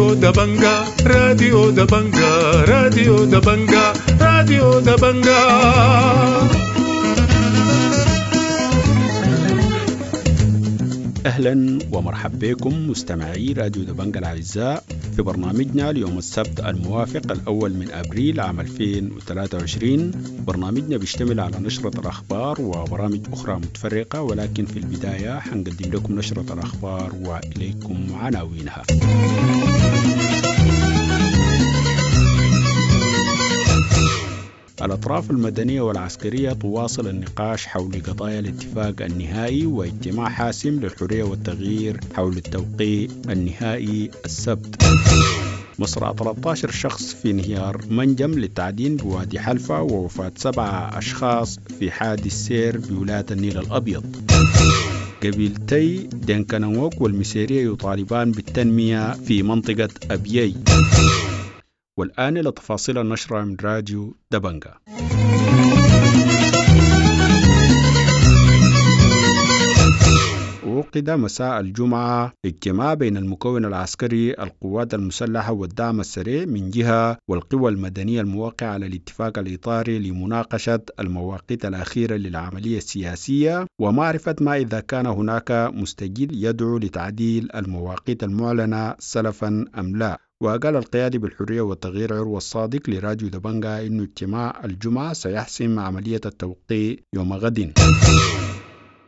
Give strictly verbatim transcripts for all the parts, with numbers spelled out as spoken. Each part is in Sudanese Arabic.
راديو دبنجا، راديو دبنجا، راديو دبنجا، راديو دبنجا. أهلا ومرحبا بكم مستمعي راديو دبنجا الأعزاء في برنامجنا ليوم السبت الموافق الأول من أبريل عام ألفين وثلاثة وعشرين. برنامجنا بيشتمل على نشرة الأخبار وبرامج أخرى متفرقة، ولكن في البداية حنقدم لكم نشرة الأخبار وإليكم عناوينها. الأطراف المدنية والعسكرية تواصل النقاش حول قضايا الاتفاق النهائي واجتماع حاسم للحرية والتغيير حول التوقيع النهائي السبت. مصرع ثلاثة عشر شخص في انهيار منجم للتعدين بوادي حلفة ووفاة سبعة أشخاص في حادث سير بولاية النيل الأبيض. قبيلتي دينكانوك والمسيرية يطالبان بالتنمية في منطقة أبيي. والآن إلى تفاصيل النشرة من راديو دبنجا. عقد مساء الجمعة اجتماع بين المكون العسكري القوات المسلحة والدعم السريع من جهة والقوى المدنية الموقعة على الاتفاق الإطاري لمناقشة المواقيت الأخيرة للعملية السياسية ومعرفة ما إذا كان هناك مستجد يدعو لتعديل المواقيت المعلنة سلفا أم لا. وقال القيادي بالحرية والتغيير عروة الصادق لراديو دبنجا إنه اجتماع الجمعة سيحسم عملية التوقيع يوم غد.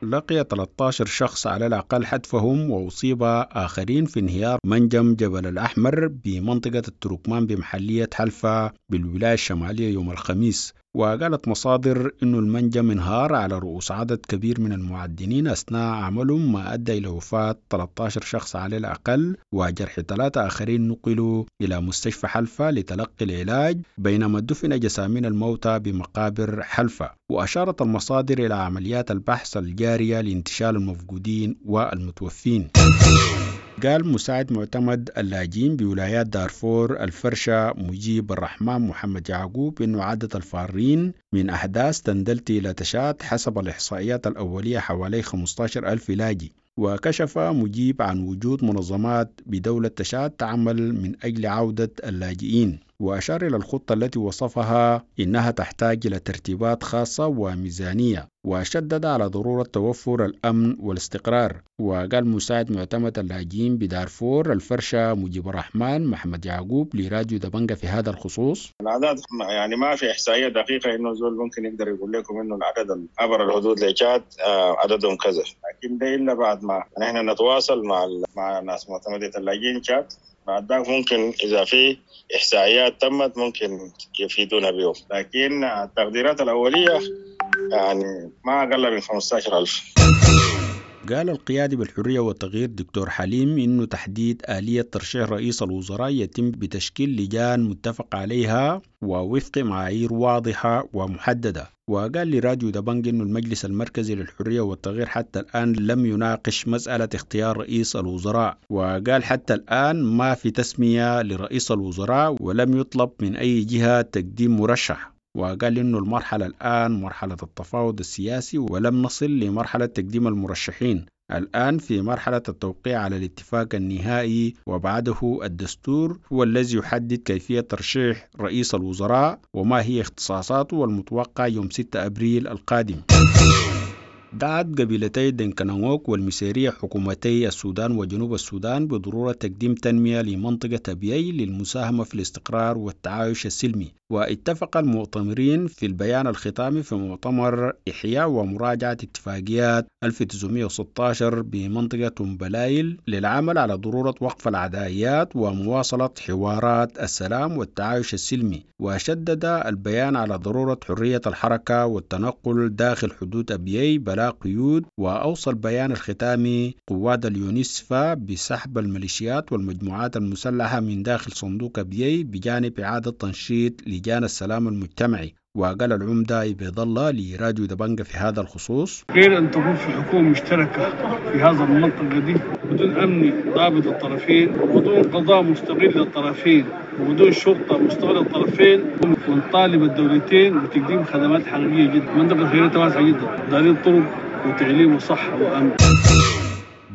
لقي ثلاثة عشر شخص على الأقل حتفهم وأصيب آخرين في انهيار منجم جبل الأحمر بمنطقة التركمان بمحلية حلفة بالولاية الشمالية يوم الخميس. وقالت مصادر أن المنجم انهار على رؤوس عدد كبير من المعدنين أثناء عملهم، ما أدى إلى وفاة ثلاثة عشر شخص على الأقل وجرح ثلاثة آخرين نقلوا إلى مستشفى حلفة لتلقي العلاج، بينما دفن جسامين الموتى بمقابر حلفة. وأشارت المصادر إلى عمليات البحث الجارية لانتشال المفقودين والمتوفين. قال مساعد معتمد اللاجئين بولايات دارفور الفرشة مجيب الرحمن محمد يعقوب إنه عدد الفارين من أحداث تندلت إلى تشاد حسب الإحصائيات الأولية حوالي خمسة عشر ألف لاجئ. وكشف مجيب عن وجود منظمات بدولة تشاد تعمل من أجل عودة اللاجئين، وأشار إلى الخطة التي وصفها إنها تحتاج إلى ترتيبات خاصة وميزانية، وشدد على ضرورة توفر الأمن والاستقرار. وقال مساعد معتمد اللاجئين بدارفور الفرشة مجيب الرحمن محمد يعقوب لراديو دبنجا في هذا الخصوص: الأعداد يعني ما في إحصائية دقيقة إنه زول ممكن يقدر يقول لكم إنه العدد عبر الحدود لتشاد عددهم كذا، لكن ده إلا بعد ما نحن نتواصل مع مع ناس معتمدة اللاجئين تشاد، بعد ذاك ممكن إذا في إحصائيات تمت ممكن يفيدونا بهم، لكن التقديرات الأولية يعني ما أقل من خمسة عشر ألف. قال القيادي بالحرية والتغيير دكتور حليم إنه تحديد آلية ترشيح رئيس الوزراء يتم بتشكيل لجان متفق عليها ووفق معايير واضحة ومحددة. وقال لراديو دبنج إنه المجلس المركزي للحرية والتغيير حتى الآن لم يناقش مسألة اختيار رئيس الوزراء، وقال حتى الآن ما في تسمية لرئيس الوزراء ولم يطلب من أي جهة تقديم مرشح. وقال إنه المرحلة الآن مرحلة التفاوض السياسي ولم نصل لمرحلة تقديم المرشحين، الآن في مرحلة التوقيع على الاتفاق النهائي وبعده الدستور هو الذي يحدد كيفية ترشيح رئيس الوزراء وما هي اختصاصاته، والمتوقع يوم ستة أبريل القادم. دعت قبيلتي دينكانوك والمسيرية حكومتي السودان وجنوب السودان بضرورة تقديم تنمية لمنطقة أبيي للمساهمة في الاستقرار والتعايش السلمي. واتفق المؤتمرين في البيان الختامي في مؤتمر إحياء ومراجعة اتفاقيات ألف وتسعمائة وستة عشر بمنطقة بلايل للعمل على ضرورة وقف العدائيات ومواصلة حوارات السلام والتعايش السلمي. وشدد البيان على ضرورة حرية الحركة والتنقل داخل حدود أبيي بلا قيود. وأوصى البيان الختامي قوات اليونسفا بسحب الميليشيات والمجموعات المسلحة من داخل صندوق أبيي بجانب إعادة تنشيط لجان السلام المجتمعي. وقال العمدة عبيد الله لراديو دبنجا في هذا الخصوص: غير أن تكون في حكومة مشتركة في هذا المنطقة دي بدون أمن ضابط الطرفين، وبدون قضاء مستقل للطرفين، وبدون شرطة مستقلة للطرفين، ونطالب الدولتين بتقديم خدمات حقيقية جدا. منطقة خيرتها واسعة جدا، دارين طرق وتعليم وصحة وأمن.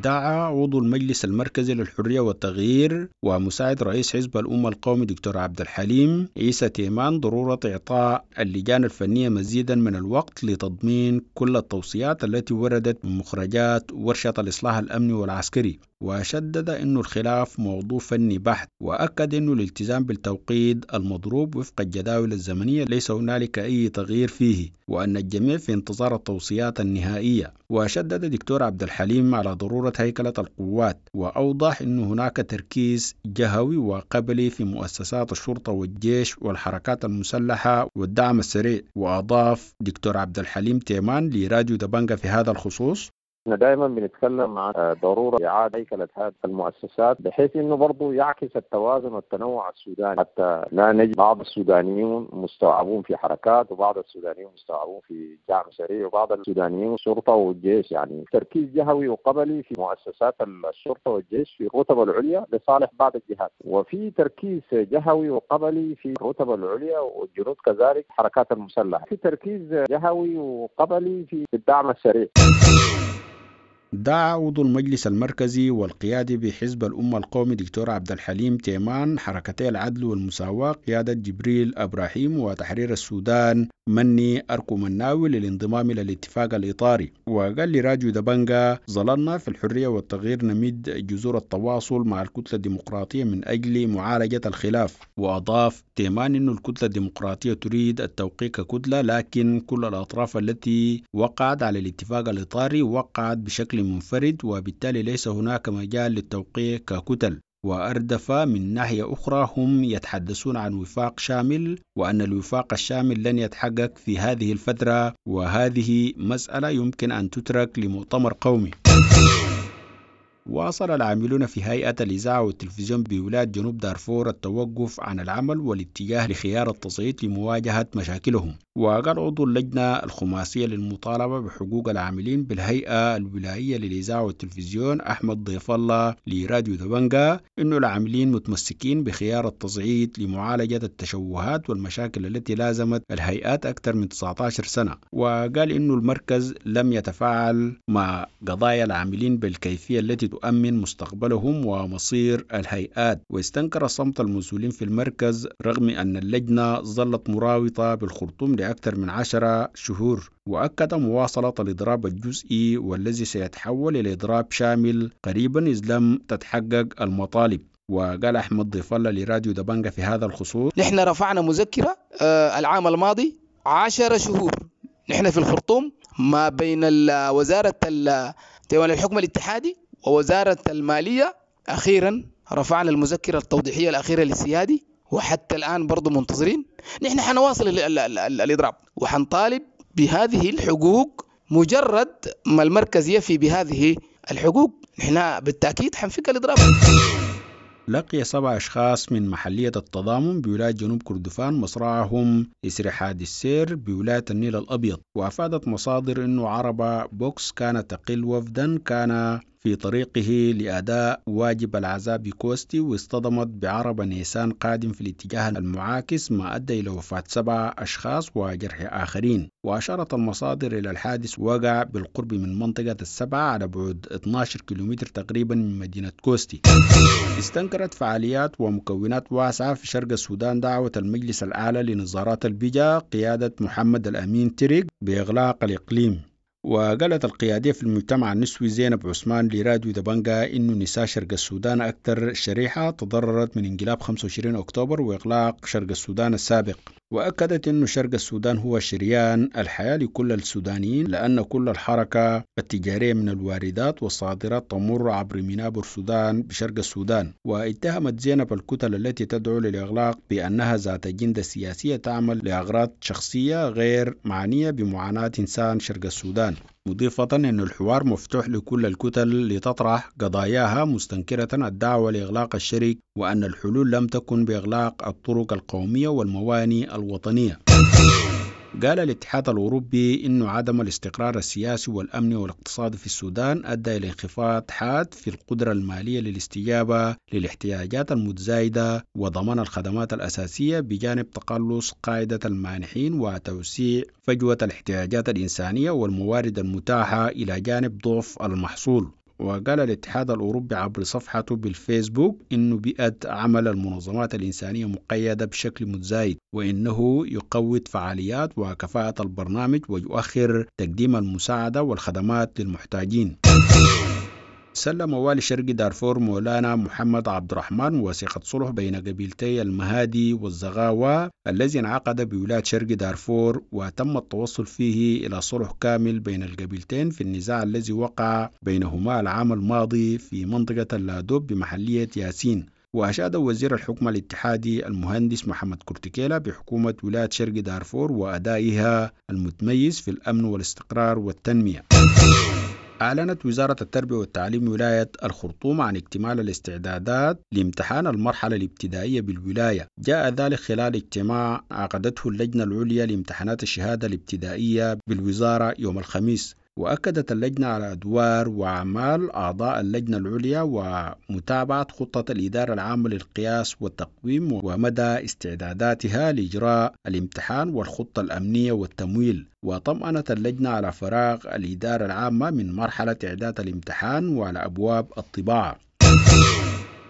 دعا عضو المجلس المركزي للحرية والتغيير ومساعد رئيس حزب الأمة القومي دكتور عبد الحليم عيسى تيمان ضرورة إعطاء اللجان الفنية مزيدا من الوقت لتضمين كل التوصيات التي وردت من مخرجات ورشة الإصلاح الأمني والعسكري. وشدد أن الخلاف موضوع فني بحت، وأكد أن الالتزام بالتوقيت المضروب وفق الجداول الزمنية ليس هنالك أي تغيير فيه، وأن الجميع في انتظار التوصيات النهائية. وشدد دكتور عبد الحليم على ضرورة هيكلة القوات، وأوضح أن هناك تركيز جهوي وقبلي في مؤسسات الشرطة والجيش والحركات المسلحة والدعم السريع. وأضاف دكتور عبد الحليم تيمان لراديو دبنجة في هذا الخصوص: احنا دائما بنتكلم عن ضرورة اعاده هيكله هذه المؤسسات بحيث انه برضه يعكس التوازن والتنوع السوداني، حتى لا نجد بعض السودانيون مستوعبون في حركات، وبعض السودانيون مستوعبون في دعم سريع، وبعض السودانيون شرطه والجيش. يعني تركيز جهوي وقبلي في مؤسسات الشرطة والجيش في الرتب العليا لصالح بعض الجهات، وفي تركيز جهوي وقبلي في الرتب العليا والجنود كذلك حركات المسلحة، في تركيز جهوي وقبلي في الدعم السريع. دعا عضو المجلس المركزي والقيادي بحزب الأمة القومي دكتور عبد الحليم تيمان حركتي العدل والمساواة قيادة جبريل إبراهيم وتحرير السودان مني أركو مناوي للانضمام إلى الاتفاق الإطاري. وقال لراديو دبنجا: ظللنا في الحرية والتغيير نمد جذور التواصل مع الكتلة الديمقراطية من أجل معالجة الخلاف. وأضاف تيمان أن الكتلة الديمقراطية تريد التوقيع ككتلة، لكن كل الأطراف التي وقعت على الاتفاق الإطاري وقعت بشكل منفرد، وبالتالي ليس هناك مجال للتوقيع ككتل. وأردف: من ناحية أخرى هم يتحدثون عن وفاق شامل، وأن الوفاق الشامل لن يتحقق في هذه الفترة، وهذه مسألة يمكن أن تترك لمؤتمر قومي. واصل العاملون في هيئة الإذاعة والتلفزيون بولاية جنوب دارفور التوقف عن العمل والاتجاه لخيار التصعيد لمواجهة مشاكلهم. وقال عضو اللجنة الخماسية للمطالبة بحقوق العاملين بالهيئة الولائية للإذاعة والتلفزيون أحمد ضيف الله لراديو دبنجا إنه العاملين متمسكين بخيار التصعيد لمعالجة التشوهات والمشاكل التي لازمت الهيئات أكثر من تسعة عشر سنة. وقال إنه المركز لم يتفاعل مع قضايا العاملين بالكيفية التي تؤمن مستقبلهم ومصير الهيئات. واستنكر صمت المسؤولين في المركز رغم أن اللجنة ظلت مراوطة بالخرطوم لأكثر من عشرة شهور. وأكد مواصلة الإضراب الجزئي والذي سيتحول إلى إضراب شامل قريبا إذ لم تتحقق المطالب. وقال أحمد ضيف الله لراديو دبنجة في هذا الخصوص: نحن رفعنا مذكرة العام الماضي عشر شهور نحن في الخرطوم ما بين وزارة ديوان الحكم الاتحادي ووزارة المالية. أخيرا رفعنا المذكرة التوضيحية الأخيرة للسيادي، وحتى الآن برضو منتظرين. نحن حنواصل ال ال ال الإضراب وحنطالب بهذه الحقوق. مجرد ما المركز يفي بهذه الحقوق نحن بالتأكيد حنفك الإضراب. لقي سبع أشخاص من محلية التضامن بولاية جنوب كردفان مصرعهم إثر حادث سير بولاية النيل الأبيض. وأفادت مصادر أنه عربة بوكس كانت تقل وفدا كان في طريقه لأداء واجب العزاء بكوستي، واصطدمت بعربة نيسان قادم في الاتجاه المعاكس، ما أدى إلى وفاة سبعة أشخاص وجرح آخرين. وأشارت المصادر إلى الحادث وقع بالقرب من منطقة السبعة على بعد اثني عشر كيلومتر تقريبا من مدينة كوستي. استنكرت فعاليات ومكونات واسعة في شرق السودان دعوة المجلس الأعلى لنظارات البجا قيادة محمد الأمين تريك بإغلاق الإقليم. وقالت القيادية في المجتمع النسوي زينب عثمان لراديو دبنجا إنه نساء شرق السودان أكثر شريحة تضررت من انقلاب خمسة وعشرين أكتوبر وإغلاق شرق السودان السابق. وأكدت أن شرق السودان هو شريان الحياة لكل السودانيين، لأن كل الحركة التجارية من الواردات والصادرات تمر عبر ميناء بورسودان بشرق السودان. واتهمت زينب الكتل التي تدعو للإغلاق بأنها ذات أجندة سياسية تعمل لأغراض شخصية غير معنية بمعاناة إنسان شرق السودان، مضيفة أن الحوار مفتوح لكل الكتل لتطرح قضاياها، مستنكرة الدعوة لإغلاق الشريك وأن الحلول لم تكن بإغلاق الطرق القومية والمواني الوطنية. قال الاتحاد الأوروبي إنه عدم الاستقرار السياسي والأمني والاقتصادي في السودان أدى إلى انخفاض حاد في القدرة المالية للاستجابة للاحتياجات المتزايدة وضمان الخدمات الأساسية، بجانب تقلص قاعدة المانحين وتوسيع فجوة الاحتياجات الإنسانية والموارد المتاحة إلى جانب ضعف المحصول. وقال الاتحاد الأوروبي عبر صفحته بالفيسبوك إنه بيئة عمل المنظمات الإنسانية مقيدة بشكل متزايد، وإنه يقوض فعاليات وكفاءة البرنامج ويؤخر تقديم المساعدة والخدمات للمحتاجين. سلم والي شرق دارفور مولانا محمد عبد الرحمن وثيقة صلح بين قبيلتي المهادي والزغاوة الذي انعقد بولاية شرق دارفور، وتم التوصل فيه إلى صلح كامل بين القبيلتين في النزاع الذي وقع بينهما العام الماضي في منطقة اللادوب بمحلية ياسين. وأشاد وزير الحكم الاتحادي المهندس محمد كورتيكيلا بحكومة ولاية شرق دارفور وأدائها المتميز في الأمن والاستقرار والتنمية. أعلنت وزارة التربية والتعليم ولاية الخرطوم عن اكتمال الاستعدادات لامتحان المرحلة الابتدائية بالولاية. جاء ذلك خلال اجتماع عقدته اللجنة العليا لامتحانات الشهادة الابتدائية بالوزارة يوم الخميس. وأكدت اللجنة على أدوار وأعمال أعضاء اللجنة العليا ومتابعة خطة الإدارة العامة للقياس والتقويم ومدى استعداداتها لإجراء الامتحان والخطة الأمنية والتمويل. وطمأنت اللجنة على فراغ الإدارة العامة من مرحلة إعداد الامتحان وعلى أبواب الطباعة.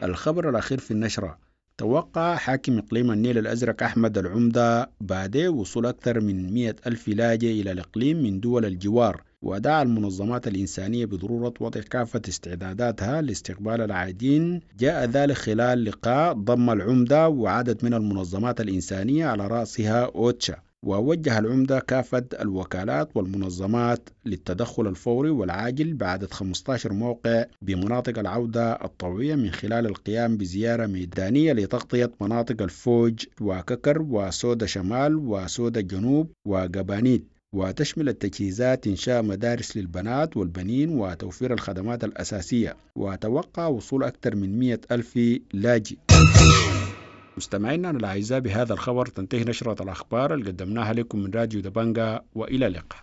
الخبر الأخير في النشرة: توقع حاكم إقليم النيل الأزرق أحمد العمدة بعد وصول أكثر من مئة ألف لاجئ إلى الإقليم من دول الجوار، ودعا المنظمات الإنسانية بضرورة وضع كافة استعداداتها لاستقبال العائدين. جاء ذلك خلال لقاء ضم العمدة وعدد من المنظمات الإنسانية على رأسها أوتشا. ووجه العمدة كافة الوكالات والمنظمات للتدخل الفوري والعاجل بعدد خمسة عشر موقع بمناطق العودة الطوعية من خلال القيام بزيارة ميدانية لتغطية مناطق الفوج وككر وسودا شمال وسودا جنوب وقبانيت. وتشمل التجهيزات إنشاء مدارس للبنات والبنين وتوفير الخدمات الأساسية. وتوقع وصول أكثر من مئة ألف لاجئ. مستمعينا الأعزاء، بهذا الخبر تنتهي نشرة الأخبار اللي قدمناها لكم من راديو دبنجا، وإلى اللقاء.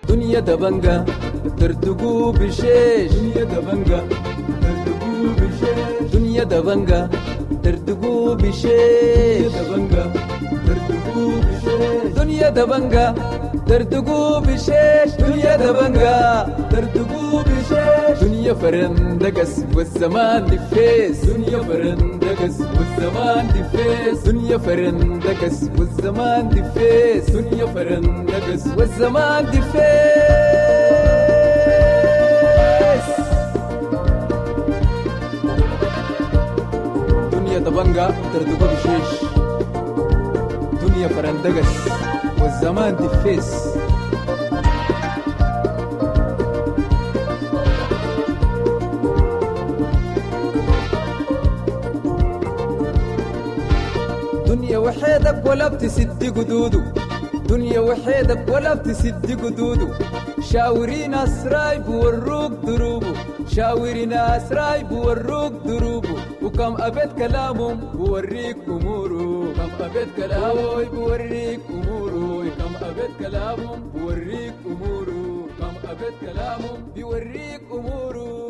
دنيا دبنجا تردقوا بشيش، دنيا دبنجا تردقوا بشيش، دنيا دبنجا تردقوا بشيش، دبنجا تردقوا بشيش، دنيا دبنجا تردقوا بشيش، دنيا دبنجا تردقوا بشيش، دنيا فرندقس والزمان دفيس، دنيا فرندقس والزمان دفيس، دنيا فرندقس والزمان دفيس، دنيا فرندقس والزمان دفيس. دنيا دبنجا تردقوا بشيش، دنيا فرندقس والزمان دفيس. دنيا وحيدك ولا بتسد قدوده، دنيا وحيدك ولا بتسد قدوده، شاوري ناس رايب وروك دروبه، شاوري ناس رايب وروك دروبه، وكم أبيت كلامهم بوريك أموره، كم أبيت كلامه بوريك أموره، كم أبيت كلامهم بوريك أموره، كم أبيت كلامهم بوريك أموره.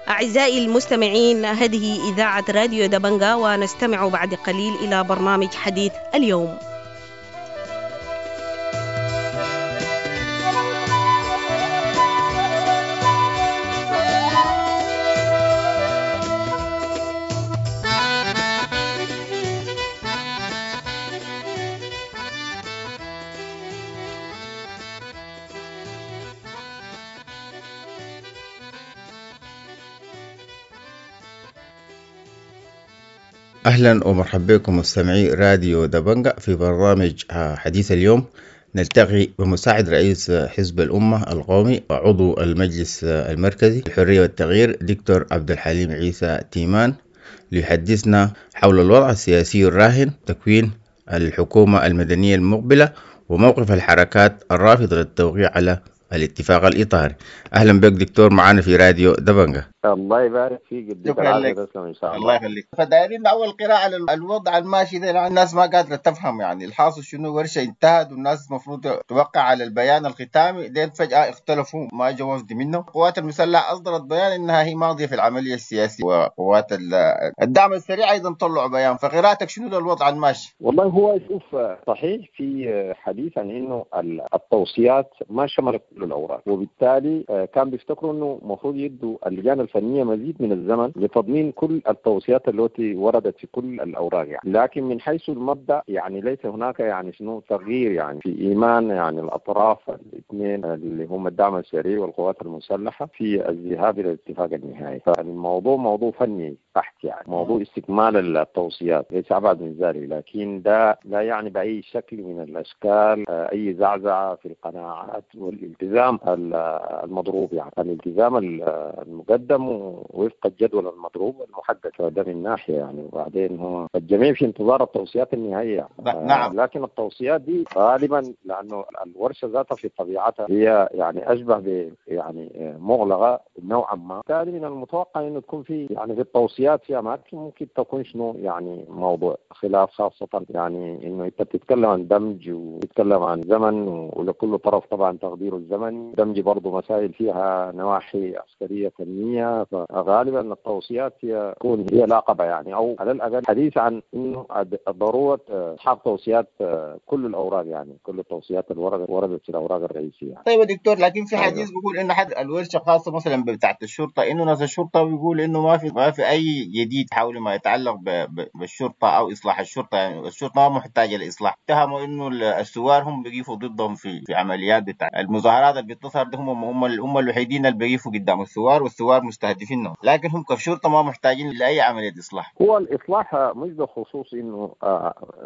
أعزائي المستمعين، هذه إذاعة راديو دبنجا، ونستمع بعد قليل إلى برنامج حديث اليوم. أهلا ومرحبا بكم مستمعي راديو دبنجا في برنامج حديث اليوم. نلتقي بمساعد رئيس حزب الأمة القومي وعضو المجلس المركزي الحرية والتغيير دكتور عبد الحليم عيسى تيمان ليحدثنا حول الوضع السياسي الراهن، تكوين الحكومة المدنية المقبلة، وموقف الحركات الرافضة للتوقيع على الاتفاق الإطاري. أهلا بك دكتور معنا في راديو دبنجة. الله يبارك فيك، يديك شكرا العافية، لك. تسلم إن شاء الله الله. يخليك. فدايرين اول قراءة للوضع الماشي ده، لأن الناس ما قادرة تفهم يعني الحاصل شنو. ورشه انتهت والناس المفروض توقع على البيان الختامي، دين فجاة اختلفوا ما جو وفد منه. القوات المسلحة اصدرت بيان انها هي ماضيه في العملية السياسية، وقوات ال- الدعم السريع ايضا طلعوا بيان. فقراءتك شنو للوضع الماشي؟ والله هو شوف، صحيح في حديث عن انه التوصيات ما شملت كل الاوراق، وبالتالي كان بيفتكروا انه المفروض يدوا اللجان الفنية مزيد من الزمن لتضمين كل التوصيات التي وردت في كل الاوراق يعني. لكن من حيث المبدا يعني ليس هناك يعني شنو تغيير يعني في ايمان يعني الاطراف الاثنين اللي هم الدعم السريع والقوات المسلحة في الذهاب الى الاتفاق النهائي. فالموضوع موضوع فني بحت يعني موضوع استكمال التوصيات ليس ابعد من ذلك، لكن ده لا يعني باي شكل من الاشكال اي زعزعة في القناعات والالتزام المضروب، يعني الالتزام المقدم وفق الجدول المضروب المحدد. فده من ناحية يعني، وبعدين هو الجميع في انتظار التوصيات النهائية. نعم. لكن التوصيات دي غالبا لانه الورشة ذاتها في طبيعتها هي يعني اشبه ب يعني مغلقة نوعا ما، بالتالي من المتوقع انه تكون في يعني في التوصيات في اماكن ممكن تكون شنو يعني موضوع خلاف، خاصة يعني انه انت بتتكلم عن دمج وبتتكلم عن زمن، ولكل طرف طبعا تقديره الزمني، دمج برضه مسائل فيها نواحي عسكرية فنية، فغالبا التوصيات هي تكون هي لاقبه يعني، او على الاقل حديث عن انه ضرورة اسحاق توصيات كل الاوراق يعني كل التوصيات اللي وردت في الاوراق الرئيسية. طيب يا دكتور، لكن في حديث بيقول انه حد الورشة خاصة مثلا بتاعت الشرطة، انه ناس الشرطة بيقول انه ما في ما في اي جديد حول ما يتعلق بالشرطة او اصلاح الشرطة، يعني الشرطة ما محتاجه لاصلاح. اتهموا انه الثوار هم بيقفوا ضدهم في في عمليات بتاع المظاهرات اللي بتظهر دي، هم هم هم الوحيدين اللي بيقفوا قدام الثوار والثوار مستهدفينهم، لكن هم كشرطه ما محتاجين لاي عملية اصلاح. هو الاصلاح مش بخصوص انه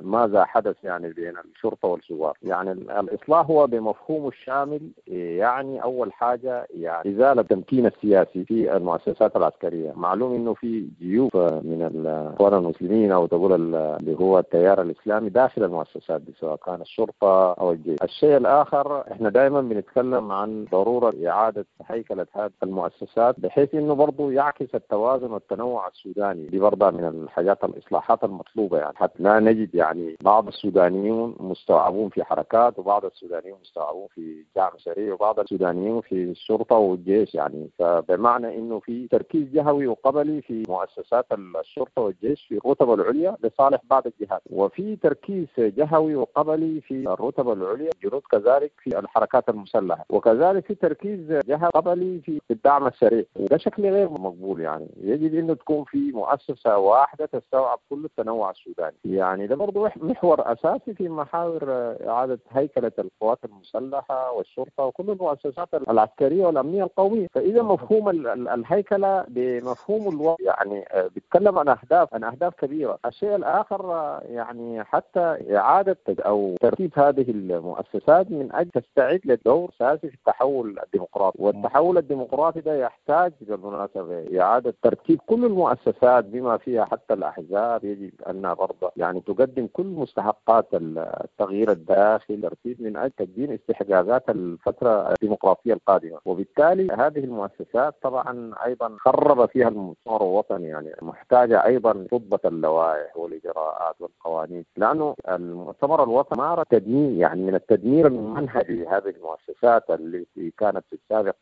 ماذا حدث يعني بين الشرطة والثوار، يعني الاصلاح هو بمفهومه الشامل، يعني اول حاجة يعني ازالة التمكين السياسي في المؤسسات العسكرية. معلوم انه في جيوب من الاخوان المسلمين او تقول اللي هو التيار الاسلامي داخل المؤسسات دي سواء كان الشرطة او الجيش. الشيء الاخر احنا دائما بنتكلم عن ضرورة اعاده هيكله هذه المؤسسات بحيث انه برضه يعكس التوازن والتنوع السوداني، دي برضه من الحاجات الاصلاحات المطلوبة يعني، حتى لا نجد يعني بعض السودانيون مستوعبون في حركات وبعض السودانيون مستوعبون في دعم سريع وبعض السودانيون في الشرطة والجيش يعني، فبمعنى انه في تركيز جهوي وقبلي في مؤسسات الشرطة والجيش في الرتب العليا لصالح بعض الجهات، وفي تركيز جهوي وقبلي في الرتب العليا الجنود كذلك في الحركات المسلحة، وكذلك في تركيز جهوي قبلي في الدعم السريع، وده شكل غير مقبول يعني. يجب انه تكون في مؤسسة واحدة تستوعب كل التنوع السوداني، يعني ده برضه محور اساسي في محاور اعاده هيكله القوات المسلحة والشرطة وكل المؤسسات العسكرية والامنية القومية. فاذا مفهوم الهيكله بمفهوم الوضع يعني بيتكلم عن اهداف عن اهداف كبيرة. الشيء الاخر يعني حتى اعاده او ترتيب هذه المؤسسات من اجل تستعد لدور اساسي في التحول الديمقراطي، والتحول الديمقراطي ده يحتاج بالمناسبة اعاده ترتيب كل المؤسسات بما فيها حتى الاحزاب، يجب ان برضه يعني تقدم كل مستحقات التغيير الداخلي ترتيب من اجل تقديم استحقاقات الفترة الديمقراطية القادمة، وبالتالي هذه المؤسسات طبعا ايضا خرب فيها المؤتمر الوطني يعني محتاجه ايضا تضبط اللوائح والاجراءات والقوانين، لانه المؤتمر الوطني مارس تدمير يعني من التدمير المنهجي لهذه المؤسسات التي كانت في السابق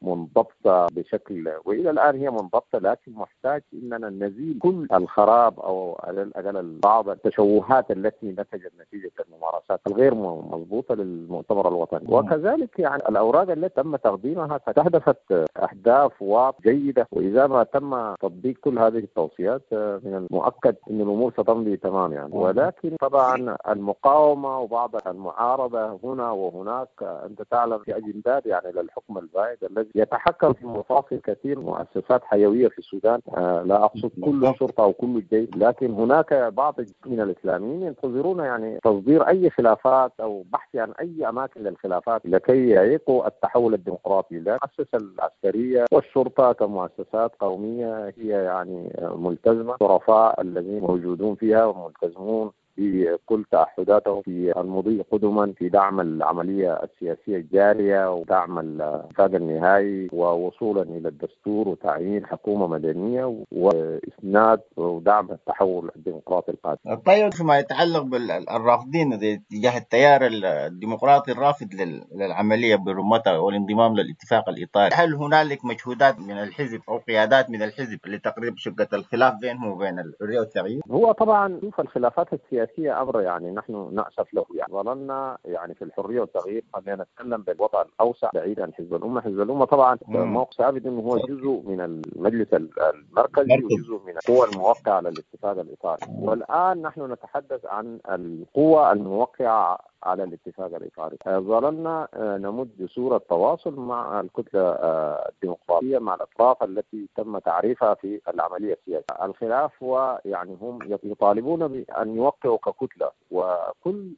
منضبطة بشكل والى الان هي منضبطة، لكن محتاج اننا نزيل كل الخراب او على الاقل بعض التشوهات التي نتجت نتيجة الممارسات الغير مضبوطة للمؤتمر الوطني. وكذلك يعني الاوراق التي تم تقديمها استهدفت اهداف واضحة جيدة، واذا ما تم تطبيق كل هذه التوصيات من المؤكد ان الامور ستمضي تمام يعني. ولكن طبعا المقاومة وبعض المعارضة هنا وهناك انت تعلم في اجندات يعني للحكم البائد الذي يتحكم في مفاصل كثير مؤسسات حيوية في السودان، آه لا اقصد كل الشرطة او كل الجيش، لكن هناك بعض من الاسلاميين ينتظرون يعني تصدير اي خلافات او بحث عن اي اماكن للخلافات لكي يعيقوا التحول الديمقراطي. لا المؤسسة العسكرية والشرطة كمؤسسات قومية هي يعني ملتزمة، الشرفاء الذين موجودون فيها وملتزمون بكل تعهداتهم في المضي قدما في دعم العملية السياسية الجارية ودعم الاتفاق النهائي ووصولا إلى الدستور وتعيين حكومة مدنية وإسناد ودعم التحول الديمقراطي القادم. طيب فيما يتعلق بالرافضين تجاه التيار الديمقراطي الرافض للعملية برمتها والانضمام للاتفاق الإطاري، هل هنالك مجهودات من الحزب أو قيادات من الحزب لتقريب شقة الخلاف بينهم وبين الحرية والتغيير؟ هو طبعا شوف الخلافات السياسية أمر يعني نحن نأسف له، يعني ظللنا يعني في الحرية والتغيير، خلينا نتكلم بالوطن الأوسع بعيد عن حزب الأمة. حزب الأمة طبعا موقف ثابت إنه هو جزء من المجلس المركزي وجزء من القوى الموقعة على الاتفاق الإطاري، والآن نحن نتحدث عن القوى الموقعة على الاتفاق الإطاري. ظللنا نمد جسور التواصل مع الكتلة الديمقراطية، مع الأطراف التي تم تعريفها في العملية السياسية. الخلاف هو يعني هم يطالبون بأن يوقعوا ككتلة، وكل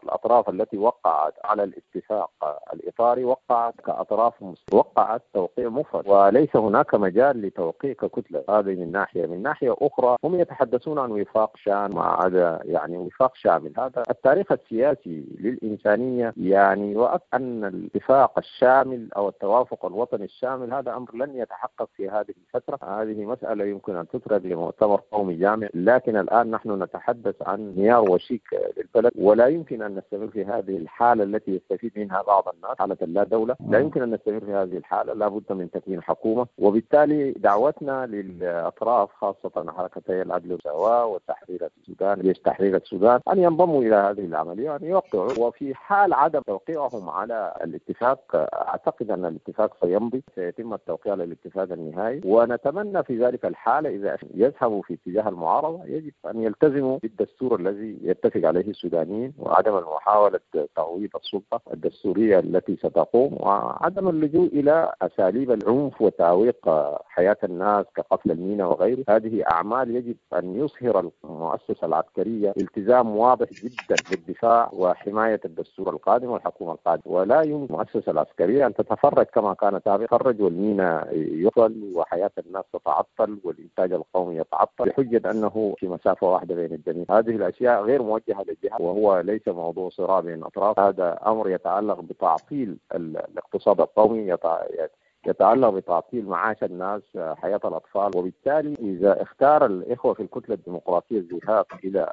الأطراف التي وقعت على الاتفاق الإطاري وقعت كأطراف وقعت توقيع مفرد، وليس هناك مجال لتوقيع ككتلة. هذه من ناحية. من ناحية أخرى هم يتحدثون عن وفاق شامل، مع هذا يعني وفاق شامل، هذا التاريخ السياسي للإنسانية يعني وأن الاتفاق الشامل أو التوافق الوطني الشامل هذا أمر لن يتحقق في هذه الفترة. هذه مسألة يمكن أن تترك لمؤتمر قومي جامع، لكن الآن نحن نتحدث عن انهيار وشيك للبلد، ولا يمكن أن نستمر في هذه الحالة التي يستفيد منها بعض الناس، حالة اللا دولة. لا يمكن أن نستمر في هذه الحالة، لا بد من تكوين حكومة. وبالتالي دعوتنا للأطراف خاصة حركتي العدل والمساواة وتحرير السودان، جيش تحرير السودان، أن ينضموا إلى هذه العملية، أن يوقعوا. وفي حال عدم توقيعهم على الاتفاق أعتقد أن الاتفاق سيمضي، سيتم التوقيع على الاتفاق النهائي. ونتمنى في ذلك الحالة إذا يذهبوا في اتجاه المعارضة يجب أن يلتزموا بالدستور الذي يتفق عليه السودانيين، وعدم محاولة تعويض السلطة الدستورية التي ستقوم، وعدم اللجوء إلى أساليب العنف وتعويق حياة الناس كقتل المينا وغيره. هذه أعمال يجب أن يظهر المؤسسة العسكرية التزام واضح جدا بالدفاع وحماية الدستور القادم والحكومة القادمة، ولا يمكن المؤسسة العسكرية أن تتفرج كما كانت سابقا، تفرج والمينا يقتل وحياة الناس تتعطل والإنتاج القومي يتعطل بحجة أنه في مسافة واحدة بين الجميع. هذه الأشياء غير موجهة للجهة، وهو ليس موضوع صراع بين الأطراف، هذا أمر يتعلق بتعطيل الاقتصاد القومي، يتعلق بتعطيل معاش الناس، حياة الأطفال. وبالتالي إذا اختار الإخوة في الكتلة الديمقراطية الذهاب إلى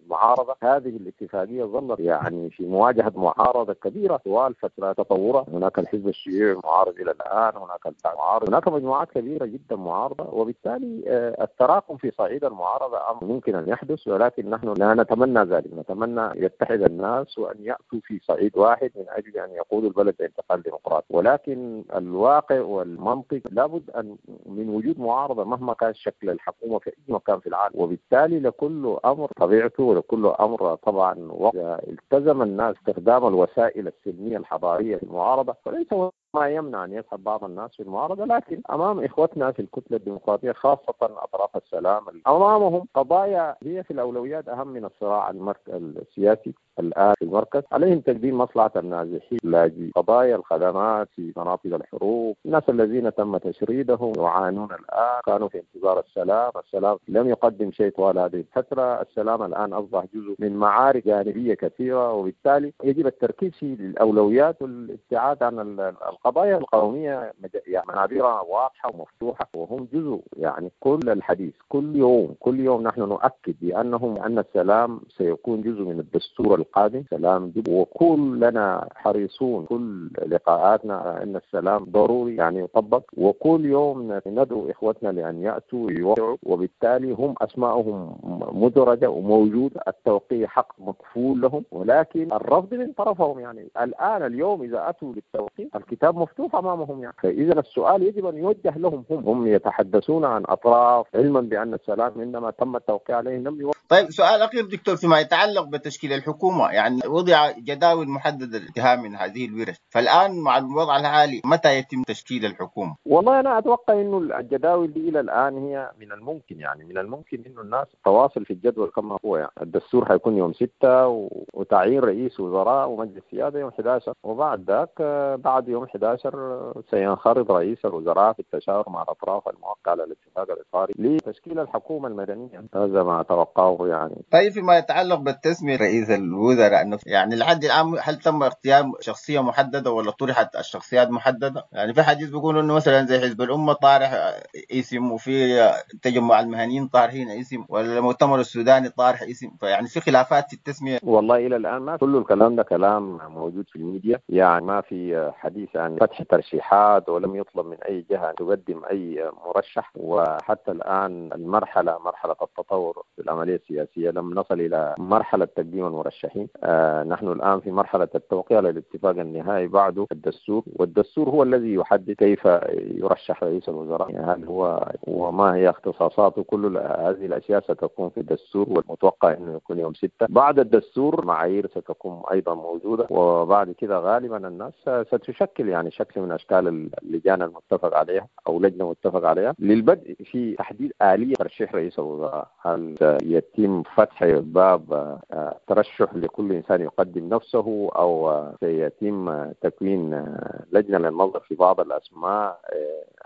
المعارضة، هذه الاتفاقية ظلت يعني في مواجهة معارضة كبيرة طوال فترة تطورها. هناك الحزب الشيوعي معارض إلى الآن، هناك المعارض، هناك مجموعات كبيرة جدا معارضة، وبالتالي التراكم في صعيد المعارضة أمر ممكن أن يحدث، ولكن نحن لا نتمنى ذلك. نتمنى يتحد الناس وأن يأتوا في صعيد واحد من أجل أن يقودوا البلد بانتقال ديمقراطي، ولكن الواقع والمنطق لابد أن من وجود معارضة مهما كان شكل الحكومة في أي مكان في العالم. وبالتالي لكل أمر طبيعته ولكل أمر طبعا وقت. التزم الناس استخدام الوسائل السلمية الحضارية في المعارضة، وليس ما يمنع أن يسحب بعض الناس في المعارضة، لكن أمام إخوتنا في الكتلة الديمقراطية خاصة أطراف السلام أمامهم قضايا هي في الأولويات أهم من الصراع السياسي الآن في المركز. عليهم تقديم مصلحة النازحين، اللاجئين، قضايا الخدمات في مناطق الحروب، الناس الذين تم تشريدهم يعانون الآن، كانوا في انتظار السلام، السلام لم يقدم شيء طوال هذه الفترة، السلام الآن أصبح جزء من معارك جانبية كثيرة، وبالتالي يجب التركيز في الأولويات والابتعاد عن القضايا القومية. يعني منابرها واضحة ومفتوحة وهم جزء يعني كل الحديث كل يوم كل يوم نحن نؤكد بأنهم أن السلام سيكون جزء من الدستور القادم، سلام جب، وكلنا حريصون كل لقاءاتنا أن السلام ضروري يعني يطبق، وكل يوم ندعو إخوتنا لأن يأتوا يوقعوا، وبالتالي هم أسماءهم مدرجة وموجودة، التوقيع حق مكفول لهم، ولكن الرفض من طرفهم. يعني الآن اليوم إذا أتوا للتوقيع الكتاب مفتوح أمامهم يعني. فإذا السؤال يجب أن يوجه لهم، هم هم يتحدثون عن أطراف علما بأن السلام عندما تم التوقيع عليه لم يوقع. طيب سؤال أخير دكتور فيما يتعلق بتشكيل الحكومة، يعني وضع جداول محددة للانتهاء من هذه الورش، فالآن مع الوضع الحالي متى يتم تشكيل الحكومة؟ والله أنا أتوقع إنه الجداول دي إلى الآن هي من الممكن، يعني من الممكن إنه الناس تواصل في الجدول كما هو. يعني الدستور حيكون يوم ستة وتعيين رئيس وزراء ومجلس سيادة يوم أحد عشر، وبعد ذاك بعد يوم أحد أحد عشر سينخرط رئيس الوزراء في التشاور مع الأطراف الموقعة على الاتفاق الإطاري لتشكيل الحكومة المدنية، هذا ما أتوقعه يعني. طيب فيما يتعلق بالتسمية رئيس الوزراء، يعني لحد الآن هل تم اختيار شخصية محددة ولا طرحت الشخصيات محددة؟ يعني في حديث بيقولوا إنه مثلا زي حزب الأمة طارح اسم، وفي تجمع المهنيين طارحين اسم، ولا المؤتمر السوداني طارح اسم، فيعني في خلافات في التسمية. والله إلى الآن ما كل الكلام ده كلام موجود في الميديا، يعني ما في حديث عن فتح ترشيحات ولم يطلب من أي جهة تقدم أي مرشح، وحتى الآن المرحلة مرحلة التطور في العملية السياسية لم نصل إلى مرحلة تقديم المرشحين. آه نحن الآن في مرحلة التوقيع للاتفاق النهائي بعده الدستور، والدستور هو الذي يحدد كيف يرشح رئيس الوزراء، يعني هل هو وما هي اختصاصاته، كل هذه الأشياء ستكون في الدستور، والمتوقع أنه يكون يوم ستة. بعد الدستور معايير ستكون أيضا موجودة، وبعد كده غالبا الناس ستشكل يعني شكل من أشكال اللجان المتفق عليها أو لجنة متفق عليها للبدء في تحديد آلية ترشيح رئيس الوزراء. هل يتم فتح باب ترشح لكل إنسان يقدم نفسه، أو سيتم تكوين لجنة للنظر في بعض الأسماء؟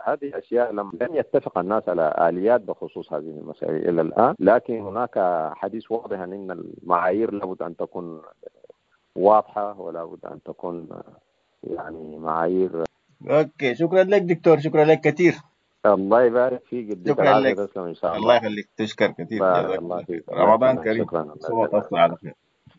هذه أشياء لم لم يتفق الناس على آليات بخصوص هذه المسائل إلى الآن، لكن هناك حديث واضح أن المعايير لابد أن تكون واضحة ولابد أن تكون يعني معايير. okay، شكرا لك دكتور، شكرا لك كثير. الله يبارك فيك، يديك شكرا لك، تسلم ان شاء الله. الله يخليك، تشكر كثير، بارك الله فيك، رمضان كريم. شكرا، تصوم على خير.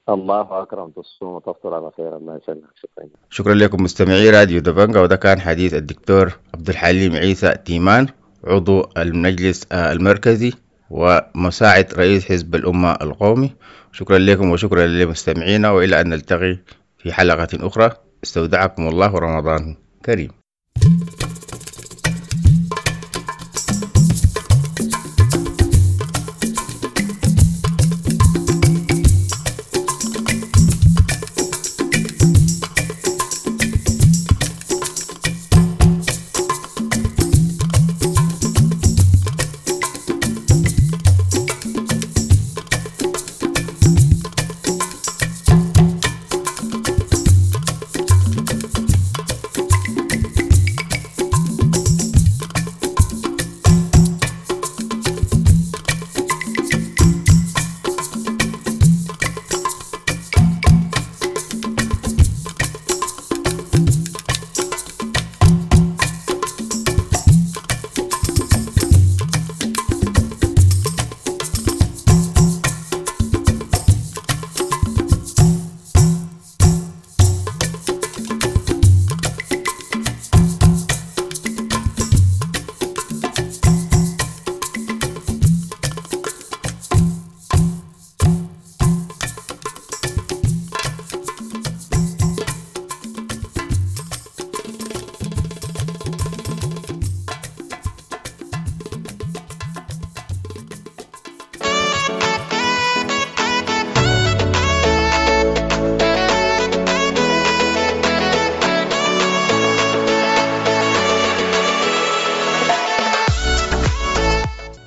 الله اكرم، تصوم وتفطر على خير، الله يسلمك. شكرا. شكرا لكم مستمعي راديو دبنجا، وده كان حديث الدكتور عبد الحليم عيسى تيمان عضو المجلس المركزي ومساعد رئيس حزب الأمة القومي. شكرا لكم وشكرا لمستمعينا، وإلى أن نلتقي في حلقة أخرى، استودعكم الله ورمضان كريم.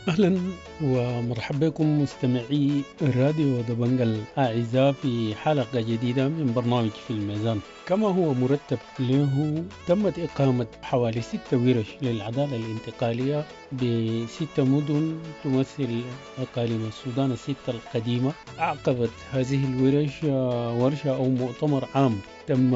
أهلا ومرحبا بكم مستمعي راديو دبنجا الأعزاء في حلقة جديدة من برنامج في الميزان. كما هو مرتب له، تمت إقامة حوالي ستة ورش للعدالة الانتقالية بستة مدن تمثل أقاليم السودان الستة القديمة. أعقبت هذه الورش ورشة أو مؤتمر عام تم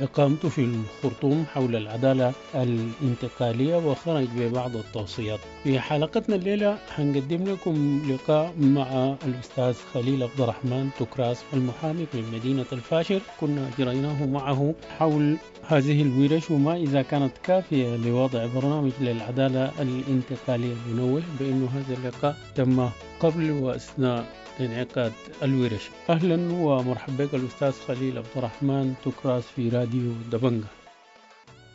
إقامته في الخرطوم حول العدالة الانتقالية وخرج ببعض التوصيات. في حلقتنا الليلة هنقدم لكم لقاء مع الأستاذ خليل عبد الرحمن تكراس المحامي من مدينة الفاشر، كنا أجريناه معه حول هذه الورش وما إذا كانت كافية لوضع برنامج للعدالة الانتقالية. ننوه بأن هذا اللقاء تم قبل وأثناء انعقاد الورش. أهلا ومرحبا بك الأستاذ خليل عبد الرحمن تكراس في راديو دبنجا.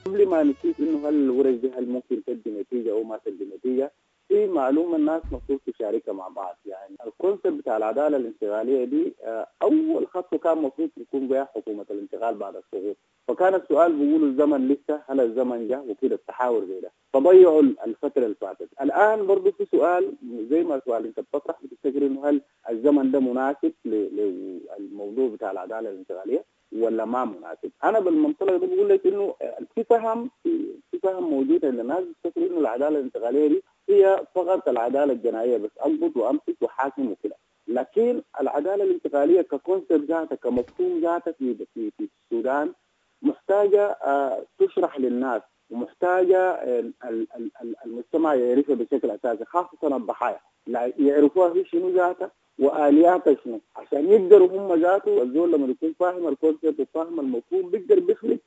قبل ما نشوف إنه هل الورش دي هل ممكن تدي نتيجة أو ما تدي نتيجة، في معلومة الناس المفروض تشاركها مع بعض. يعني ال concept بتاع العدالة الانتقالية دي أول خطوة كان المفروض يكون بها حكومة الانتقال بعد السقوط، فكان السؤال بيقولوا الزمن لسه، هل الزمن جه وكده التحاور زي ده، فضيعوا الفترة اللي فاتت. الآن برضه في سؤال زي ما سؤال أنت بتطرح، بتفتكر إنه هل الزمن ده مناسب للموضوع بتاع العدالة الانتقالية؟ ولا ما مناسب. انا بالمنطلق ده بقول لك انه في فهم في, في فهم موجود عند الناس بيفتكروا انه العدالة الانتقالية دي هي فقط العدالة الجنائية بس، اضبط وامسك وحاكم وكده. لكن العدالة الانتقالية ك concept ذاتها، كمفهوم ذاتها في في في السودان محتاجه تشرح للناس، ومحتاجة المجتمع يعرفها بشكل اساسي، خاصة الضحايا يعرفوها في شنو ذاتها والياتها شنو، عشان يقدروا هم ذاته. الزول لما يكون فاهم ال concept وفاهم المفهوم بيقدر بيخلق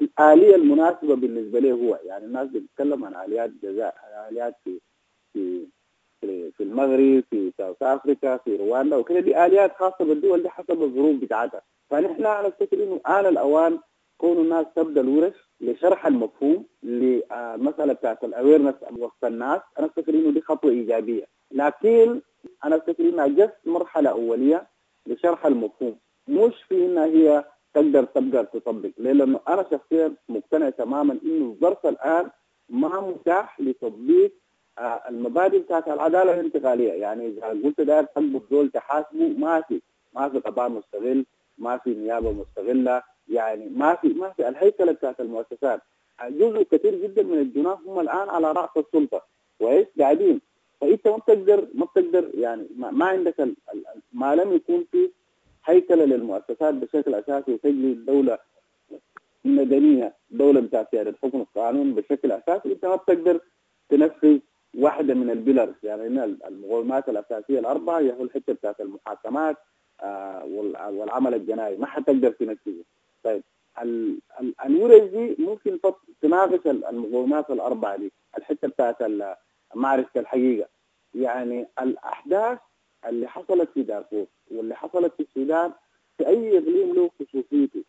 الآلية المناسبة بالنسبة له هو. يعني الناس بتتكلم عن آليات جزاء، آليات في في في المغرب، في South Africa، في رواندا وكده، دي آليات خاصة بالدول دي حسب الظروف بتاعتها. فنحن انا افتكر انه آن الاوان كون الناس تبدا الورش لشرح المفهوم للمسالة بتاعت ال awareness وسط الناس، انا افتكر انه دي خطوة ايجابية. لكن انا افتكر انها just مرحلة اوليه لشرح المفهوم، مش في انها هي تقدر تقدر تطبق. ليه؟ لانه انا شخصيا مقتنع تماما انه الظرف الان ما متاح لتطبيق المبادئ بتاعت العدالة الانتقالية. يعني اذا قلت داير تقبض زول تحاسبه، ما في ما في قضاء مستغل، ما في نيابة مستغله، يعني ما في ما في الهيكله بتاعت المؤسسات. جزء كثير جدا من الجناح هم الان على راس السلطة، كويس، قاعدين. فانت ما بتقدر ما بتقدر يعني ما, ما عندك ال ال ما لم يكون في هيكله للمؤسسات بشكل اساسي وتجري الدولة مدنية، دولة بتاعت سيادة حكم القانون بشكل اساسي، انت ما بتقدر تنفذ واحدة من ال pillars. يعني المقومات الاساسية الاربعة هي الحتة بتاعت المحاكمات آه والعمل الجنائي، ما حتقدر تنفذه. طيب ال ال الورش دي ممكن تناقش المقومات الاربعة دي، الحتة بتاعت معرفة الحقيقة. يعني الاحداث اللي حصلت في دارفور واللي حصلت في السودان في اي اقليم له خصوصيته.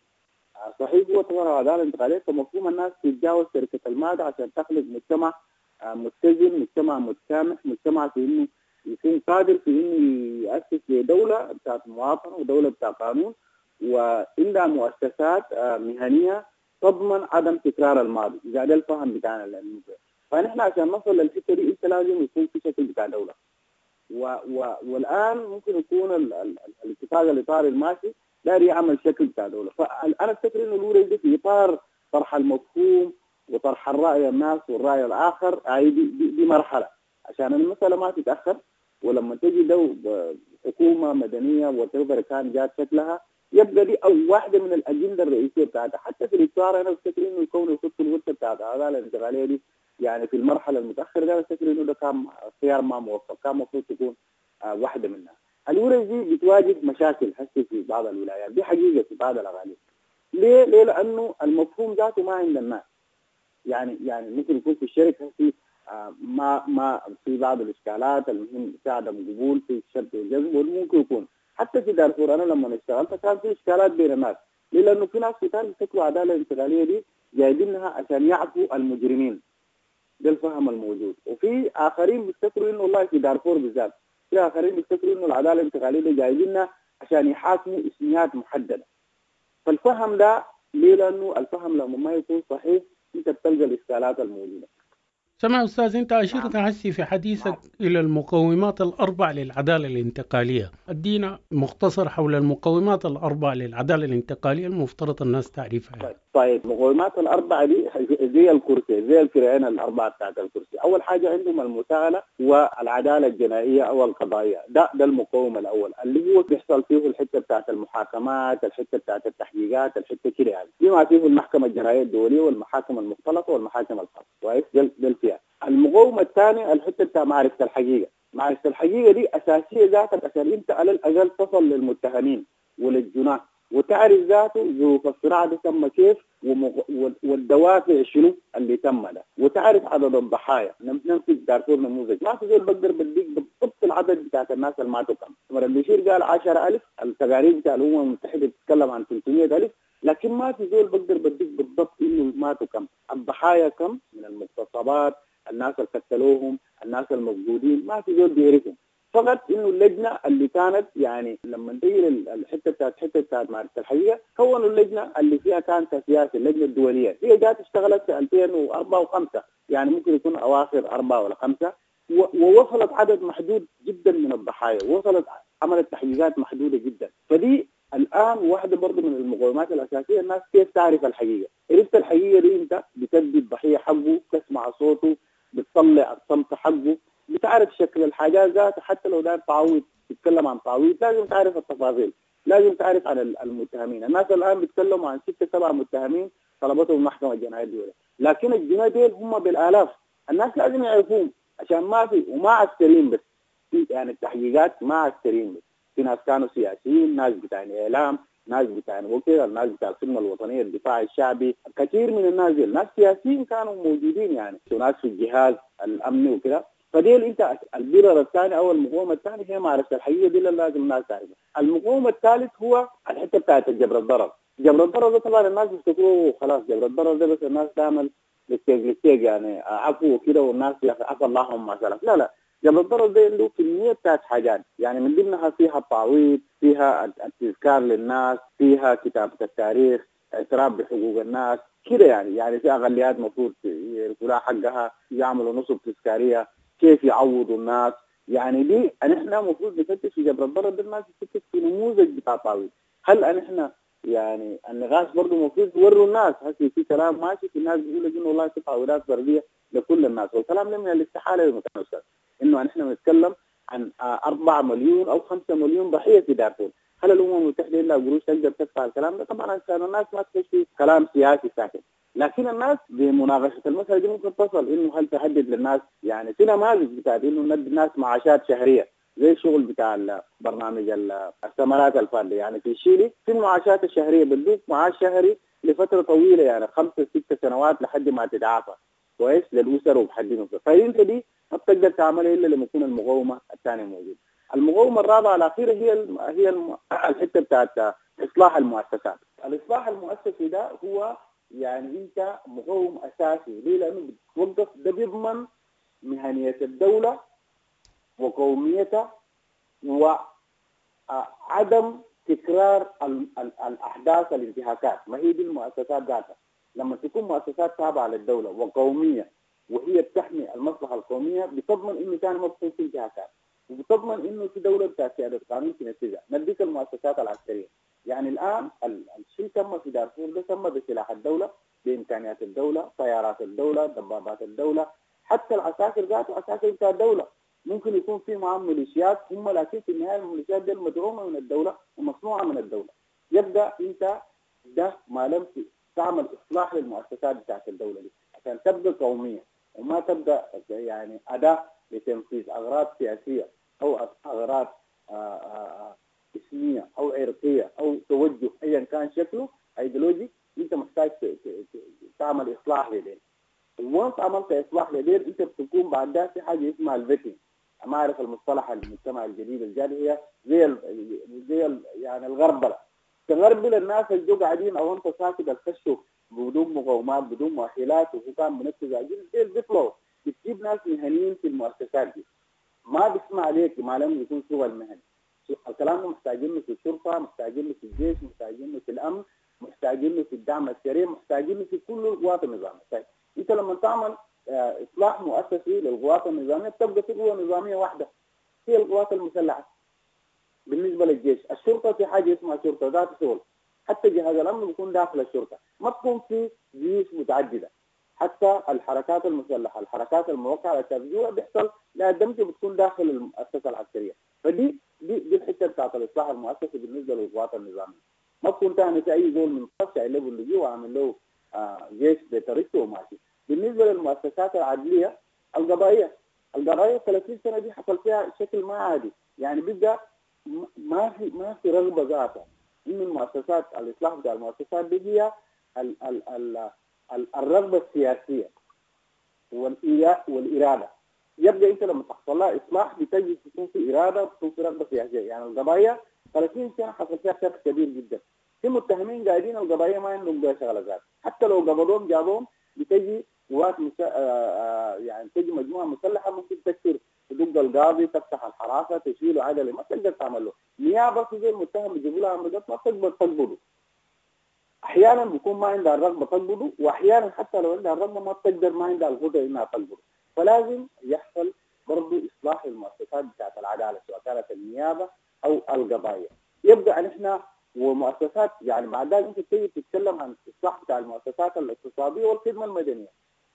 صحيح هو طبعا العدالة الانتقالية فمفهوم الناس تتجاوز شركة المادة عشان تخلق مجتمع متزن، مجتمع متسامح، مجتمع في انه يكون قادر في انه يؤسس لدولة بتاعت مواطنه ودولة بتاعت قانون وعندها مؤسسات مهنية تضمن عدم تكرار الماضي. اذا ده الفهم بتاعنا للموضوع. فنحن عشان نصل للحتة دي انت لازم يكون في شكل بتاع دولة. و و والان ممكن يكون ال ال الاتفاق الاطاري الماشي داير يعمل شكل بتاع دولة. فانا افتكر انه الورش دي في اطار طرح المفهوم وطرح الراي الناس والراي الاخر، هاي دي, دي, دي مرحلة عشان المسالة ما تتاخر. ولما تجي دو حكومة مدنية وتقدر كان جات شكلها، يبقى دي او واحدة من الاجندة الرئيسية بتاعتها. حتى في الاطار انا افتكر انه يكون يخطوا الورشة بتاعت العدالة الانتقالية دي يعني في المرحلة المتاخرة ده، افتكر انه ده كان خيار ما موفق، كان المفروض تكون آه واحدة منها. الورش دي بتواجه مشاكل هسه في بعض الولايات، دي حقيقة في بعض الاغاليب. ليه؟ ليه؟ لانه المفهوم ذاته ما عند الناس. يعني يعني ممكن يكون في الشركة في آه ما ما في بعض الاشكالات، المهم في عدم قبول، في شد وجذب، وممكن يكون حتى في دارفور انا لما اشتغلت كان في اشكالات بين الناس. ليه؟ لانه في ناس كتار بيفتكروا العدالة الانتقالية دي جايبينها عشان يعفوا المجرمين، ده الفهم الموجود. وفي اخرين بيفتكروا انه والله في دارفور بالذات في اخرين بيفتكروا انه العدالة الانتقالية دي جايبينها عشان يحاكموا اسميات محددة. فالفهم ده ليه؟ لانه الفهم لما ما يكون صحيح انت بتلقى الاشكالات الموجودة. سمع أستاذ، أنت أشرت هسي في حديثك إلى المقومات الأربع للعدالة الانتقالية. أدينا مختصر حول المقومات الأربع للعدالة الانتقالية المفترض الناس تعرفها. طيب, طيب المقومات الأربعة دي زي الكرسي، زي الكرعين الأربعة بتاعت الكرسي. أول حاجة عندهم المساءلة والعدالة الجنائية أو القضائية، ده ده المقوم الأول اللي هو بيحصل فيه الحتة بتاعت المحاكمات، الحتة بتاعت التحقيقات، الحتة كده يعني بما فيه المحكمة الجنائية الدولية والمحاكم المختلطة والمحاكم الخاصة. كويس، ده فيها. المقاومة الثانية الحتة بتاع معرفة الحقيقة. معرفة الحقيقة دي أساسية ذاتك عشان أنت على الأقل تصل للمتهمين وللجناة وتعرف ذاته ظروف الصراع ده تم كيف والدوافع شنو اللي تم ده، وتعرف عدد الضحايا. نمسك دارفور نموذج، ما في زول بقدر بديك بالضبط العدد بتاعت الناس اللي ماتوا كم. عمر البشير قال عشرة ألف، التقارير بتاع الأمم المتحدة بتتكلم عن ثلاثمية ألف، لكن ما في زول بقدر بديك بالضبط إنه ماتوا كم، الضحايا كم من المغتصبات، الناس اللي قتلوهم، الناس المفقودين، ما في زول بيعرفهم. فقط انه اللجنة اللي كانت يعني لما تيجي الحتة بتاعت حتة بتاعت معرفة الحقيقة، كونوا اللجنة اللي فيها كانت سياسة، اللجنة الدولية، هي جات اشتغلت في ألفين وأربعة وخمسة، يعني ممكن يكون اواخر أربعة ولا خمسة، ووصلت عدد محدود جدا من الضحايا، وصلت عملت تحقيقات محدودة جدا. فدي الان واحدة برضه من المقومات الاساسية الناس كيف تعرف الحقيقة. عرفت الحقيقة دي انت بتدي الضحية حقه، تسمع صوته، بتطلع الصمت حقه، بتعرف شكل الحاجات ذاتها. حتى لو داير تعويض، تتكلم عن تعويض، لازم تعرف التفاصيل، لازم تعرف عن المتهمين. الناس الان بيتكلموا عن ستة سبعة متهمين طلبتهم المحكمة الجنائية الدولية، لكن الجناة ديل هم بالالاف. الناس لازم يعرفوهم عشان ما في، وما عسكريين بس، في يعني التحقيقات ما عسكريين بس، في ناس كانوا سياسيين، ناس بتاع اعلام، ناس بتاع وكيل، ناس بتاع الخدمة الوطنية، الدفاع الشعبي، كثير من الناس ديل ناس سياسيين كانوا موجودين يعني، وناس في الجهاز الامني وكده. فديل انت البرر الثاني او المقاومة الثاني هي معرفة الحقيقة دي اللي لازم الناس تعرفها. المقاومة الثالث هو الحتة بتاعت الجبر الضرر. جبر الضرر ده طبعا الناس بيفتكروه خلاص جبر الضرر ده بس الناس تعمل للتيج للتيج يعني عفو وكده، والناس عفى اللهم ما سلف. لا لا، جبر الضرر ده عنده كمية بتاعت حاجات، يعني من ضمنها فيها التعويض، فيها التذكار للناس، فيها كتابه التاريخ، اعتراف بحقوق الناس كده يعني. يعني في اقليات المفروض يعرفوا لها حقها، يعملوا نصب تذكارية، كيف يعوضوا الناس. يعني دي نحن المفروض نفتش في جبر الضرر ده، الناس تفتش في نموذج بتاع تعويض. هل نحن يعني النقاش برضه المفروض يوروا الناس، هسه في كلام ماشي في الناس بيقولوا انه والله في تعويضات فردية لكل الناس، والكلام ده من الاستحالة للمتناسب، انه نحن بنتكلم عن أربعة مليون او خمسة مليون ضحية في دارفور. هل الامم المتحدة الا قروش تقدر تدفع الكلام ده؟ طبعا عشان الناس ما تخش في كلام سياسي ساكن، لكن الناس بمناقشه المسالة دي ممكن تصل انه هل تهدد للناس. يعني في نماذج بتاعت انه ندي الناس معاشات شهرية زي الشغل بتاع برنامج الثمرات الفردية. يعني في شيلي في المعاشات الشهرية بتدوك معاش شهري لفترة طويلة، يعني خمسة ست سنوات لحد ما تتعافى كويس للاسر وبحد. فانت دي ما بتقدر تعملها الا لما يكون المقاومة الثانية موجودة. المقاومة الرابعة الاخيرة هي الم... هي الم... الحتة بتاعت اصلاح المؤسسات. الاصلاح المؤسسي ده هو يعني انت مقاوم اساسي، ليه؟ لانه بتوقف ده بيضمن مهنية الدولة وقوميتها وعدم تكرار ال... ال... الاحداث الانتهاكات. ما هي دي المؤسسات ذاتها لما تكون مؤسسات تابعه للدولة وقوميه وهي بتحمي المصلحة القومية، بتضمن انه ثاني ما بتكون في انتهاكات، وبتضمن انه في دولة بتاعت سيادة القانون تنفذها. نديك المؤسسات العسكرية، يعني الان الشيء تم في دارفور ده تم بسلاح الدولة، بامكانيات الدولة، طيارات الدولة، دبابات الدولة، حتى العساكر ذاته عساكر بتاع الدولة. ممكن يكون في معهم ميليشيات هم، لكن في النهاية الميليشيات دي مدعومة من الدولة ومصنوعه من الدولة. يبدا انت ده ما لم تعمل اصلاح للمؤسسات بتاعت الدولة دي عشان تبقى قومية وما تبدا يعني اداه لتنفيذ اغراض سياسية او اغراض اسميه او عرقيه او توجه ايا كان شكله ايديولوجي. انت محتاج تعمل اصلاح لدين. وانت عملت اصلاح لدين انت بتكون بعد ده في حاجة اسمها ال vetting. ما اعرف المصطلح المجتمع الجديد الجاري، هي زي ال زي ال يعني الغربله. تغربل الناس اللي جو قاعدين او انت ساكت الخشوا بدون مقاومات بدون مؤهلات وهو كان منفذ عجيب، ديل بيطلعوا. بتجيب ناس مهنيين في المؤسسات دي، ما بيسمع عليك ما لم يكون شغل مهني. الكلام ده محتاجينه في الشرطة، محتاجينه في الجيش، محتاجينه في الامن، محتاجينه في الدعم السريع، محتاجينه في كل القوات النظامية. طيب انت لما تعمل اصلاح مؤسسي للقوات النظامية بتبقى في قوة نظامية واحدة هي القوات المسلحة. بالنسبة للجيش، الشرطة في حاجة اسمها شرطه ذات شغل، حتى جهاز الامن بيكون داخل الشرطة، ما تكون في جيوش متعددة. حتى الحركات المسلحة، الحركات الموقعة على التفجير بيحصل لها دمج بتكون داخل المؤسسة العسكرية. فدي دي دي الحتة بتاعت الاصلاح المؤسسي بالنسبة للقوات النظامية. ما تكون ثاني في اي زول من طرف شايل له اللجوء وعامل له آه جيش بطريقته وماشي. بالنسبة للمؤسسات العدليه القضائية، القضائية ثلاثين سنة دي حصل فيها شكل ما عادي، يعني بيبقى ما في ما في رغبة ذاتها ان المؤسسات الاصلاح بتاع المؤسسات دي هي ال ال ال ال الرغبة السياسية والارادة. يبقى انت لما تحصل لها اصلاح بتجد تكون في اراده وتكون في رغبة سياسية. يعني القضايا ثلاثين سنة حصل فيها شرخ كبير جدا، في متهمين قاعدين القضايا ما عندهم بها شغله ذات، حتى لو قبضوهم جابوهم بتجي قوات مسا... آه يعني تجي مجموعة مسلحة ممكن تكسر تدق القاضي، تفتح الحراسة، تشيله عدله، ما تقدر تعمل له نيابة. في زي المتهم بيجيبوا لها عمليات ما تقدر تقبضه. احيانا بيكون ما عندها الرغبة تقبضه، واحيانا حتى لو عندها الرغبة ما بتقدر، ما عندها القدرة انها تقبضه. فلازم يحصل برضه اصلاح للمؤسسات بتاعت العدالة سواء كانت النيابة او القضايا. يبقى نحن ومؤسسات يعني بعد ذلك انت بتيجي تتكلم عن الاصلاح بتاع المؤسسات الاقتصادية والخدمة المدنية.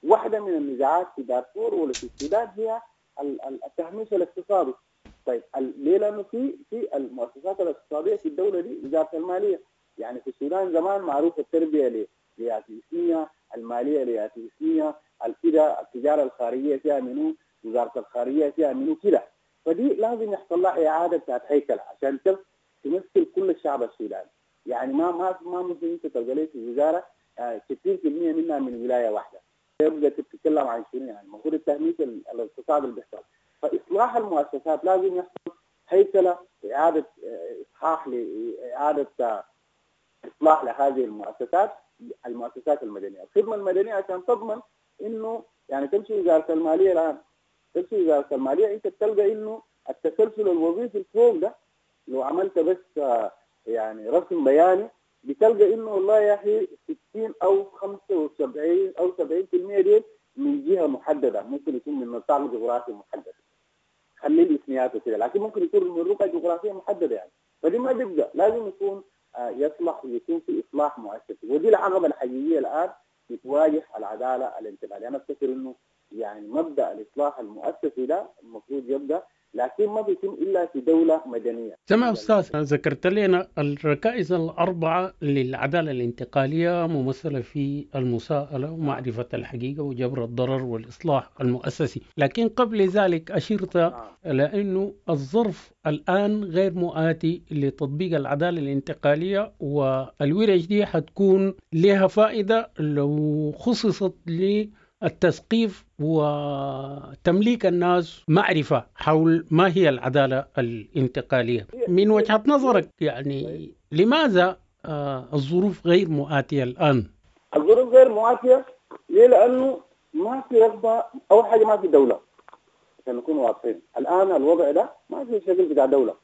واحدة من النزاعات في دارفور ولا في السودان هي التهميش الاقتصادي. طيب ليه؟ لانه في في المؤسسات الاقتصادية في الدولة دي وزارة المالية. يعني في السودان زمان معروف التربية لياتي اسميه، المالية لياتي اسميه، الكده التجارة الخارجية فيها منو، وزارة الخارجية فيها منو كده. فدي لازم يحصل لها اعاده بتاعت هيكل عشان تمثل كل الشعب السوداني. يعني ما ما ما ممكن انت تلقى لك في وزارة ستين بالمئة منها من ولاية واحدة. يبقى تتكلم عن شنو يعني؟ المفروض التهميش الاقتصادي اللي بيحصل. فاصلاح المؤسسات لازم يحصل هيكله، اعاده اصحاح لاعادة اصلاح لهذه المؤسسات، المؤسسات المدنية، الخدمة المدنية عشان تضمن انه يعني تمشي وزارة المالية الان، تمشي وزارة المالية انت بتلقى انه التسلسل الوظيفي الفوق ده لو عملت بس يعني رسم بياني بتلقى انه والله يا اخي ستين او خمسة وسبعين او سبعين بالمئة دي من جهة محددة، ممكن يكون من نطاق جغرافي محدد، خلي الاسميات وكده، لكن ممكن يكون من رقعه جغرافية محددة يعني. فدي ما بيبقى، لازم يكون يصلح ويكون في اصلاح مؤسسي، ودي العقبة الحقيقية الان بتواجه العدالة الانتقالية. انا افتكر انه يعني مبدا الاصلاح المؤسسي ده المفروض يبدا، لكن ما بيتم الا في دولة مدنية. تمام استاذ، ذكرت لنا الركائز الاربعة للعدالة الانتقالية ممثلة في المساءلة ومعرفة الحقيقة وجبر الضرر والاصلاح المؤسسي، لكن قبل ذلك اشرت الى انه الظرف الان غير مؤاتي لتطبيق العدالة الانتقالية، والورش دي حتكون لها فائدة لو خصصت ل التثقيف وتمليك الناس معرفة حول ما هي العدالة الانتقالية. من وجهة نظرك يعني لماذا الظروف غير مؤاتية الآن؟ الظروف غير مؤاتية ليه؟ لأنه ما في رغبة، أول حاجة ما في دولة، عشان نكون واضحين الآن الوضع ده ما في شكل بتاع دولة،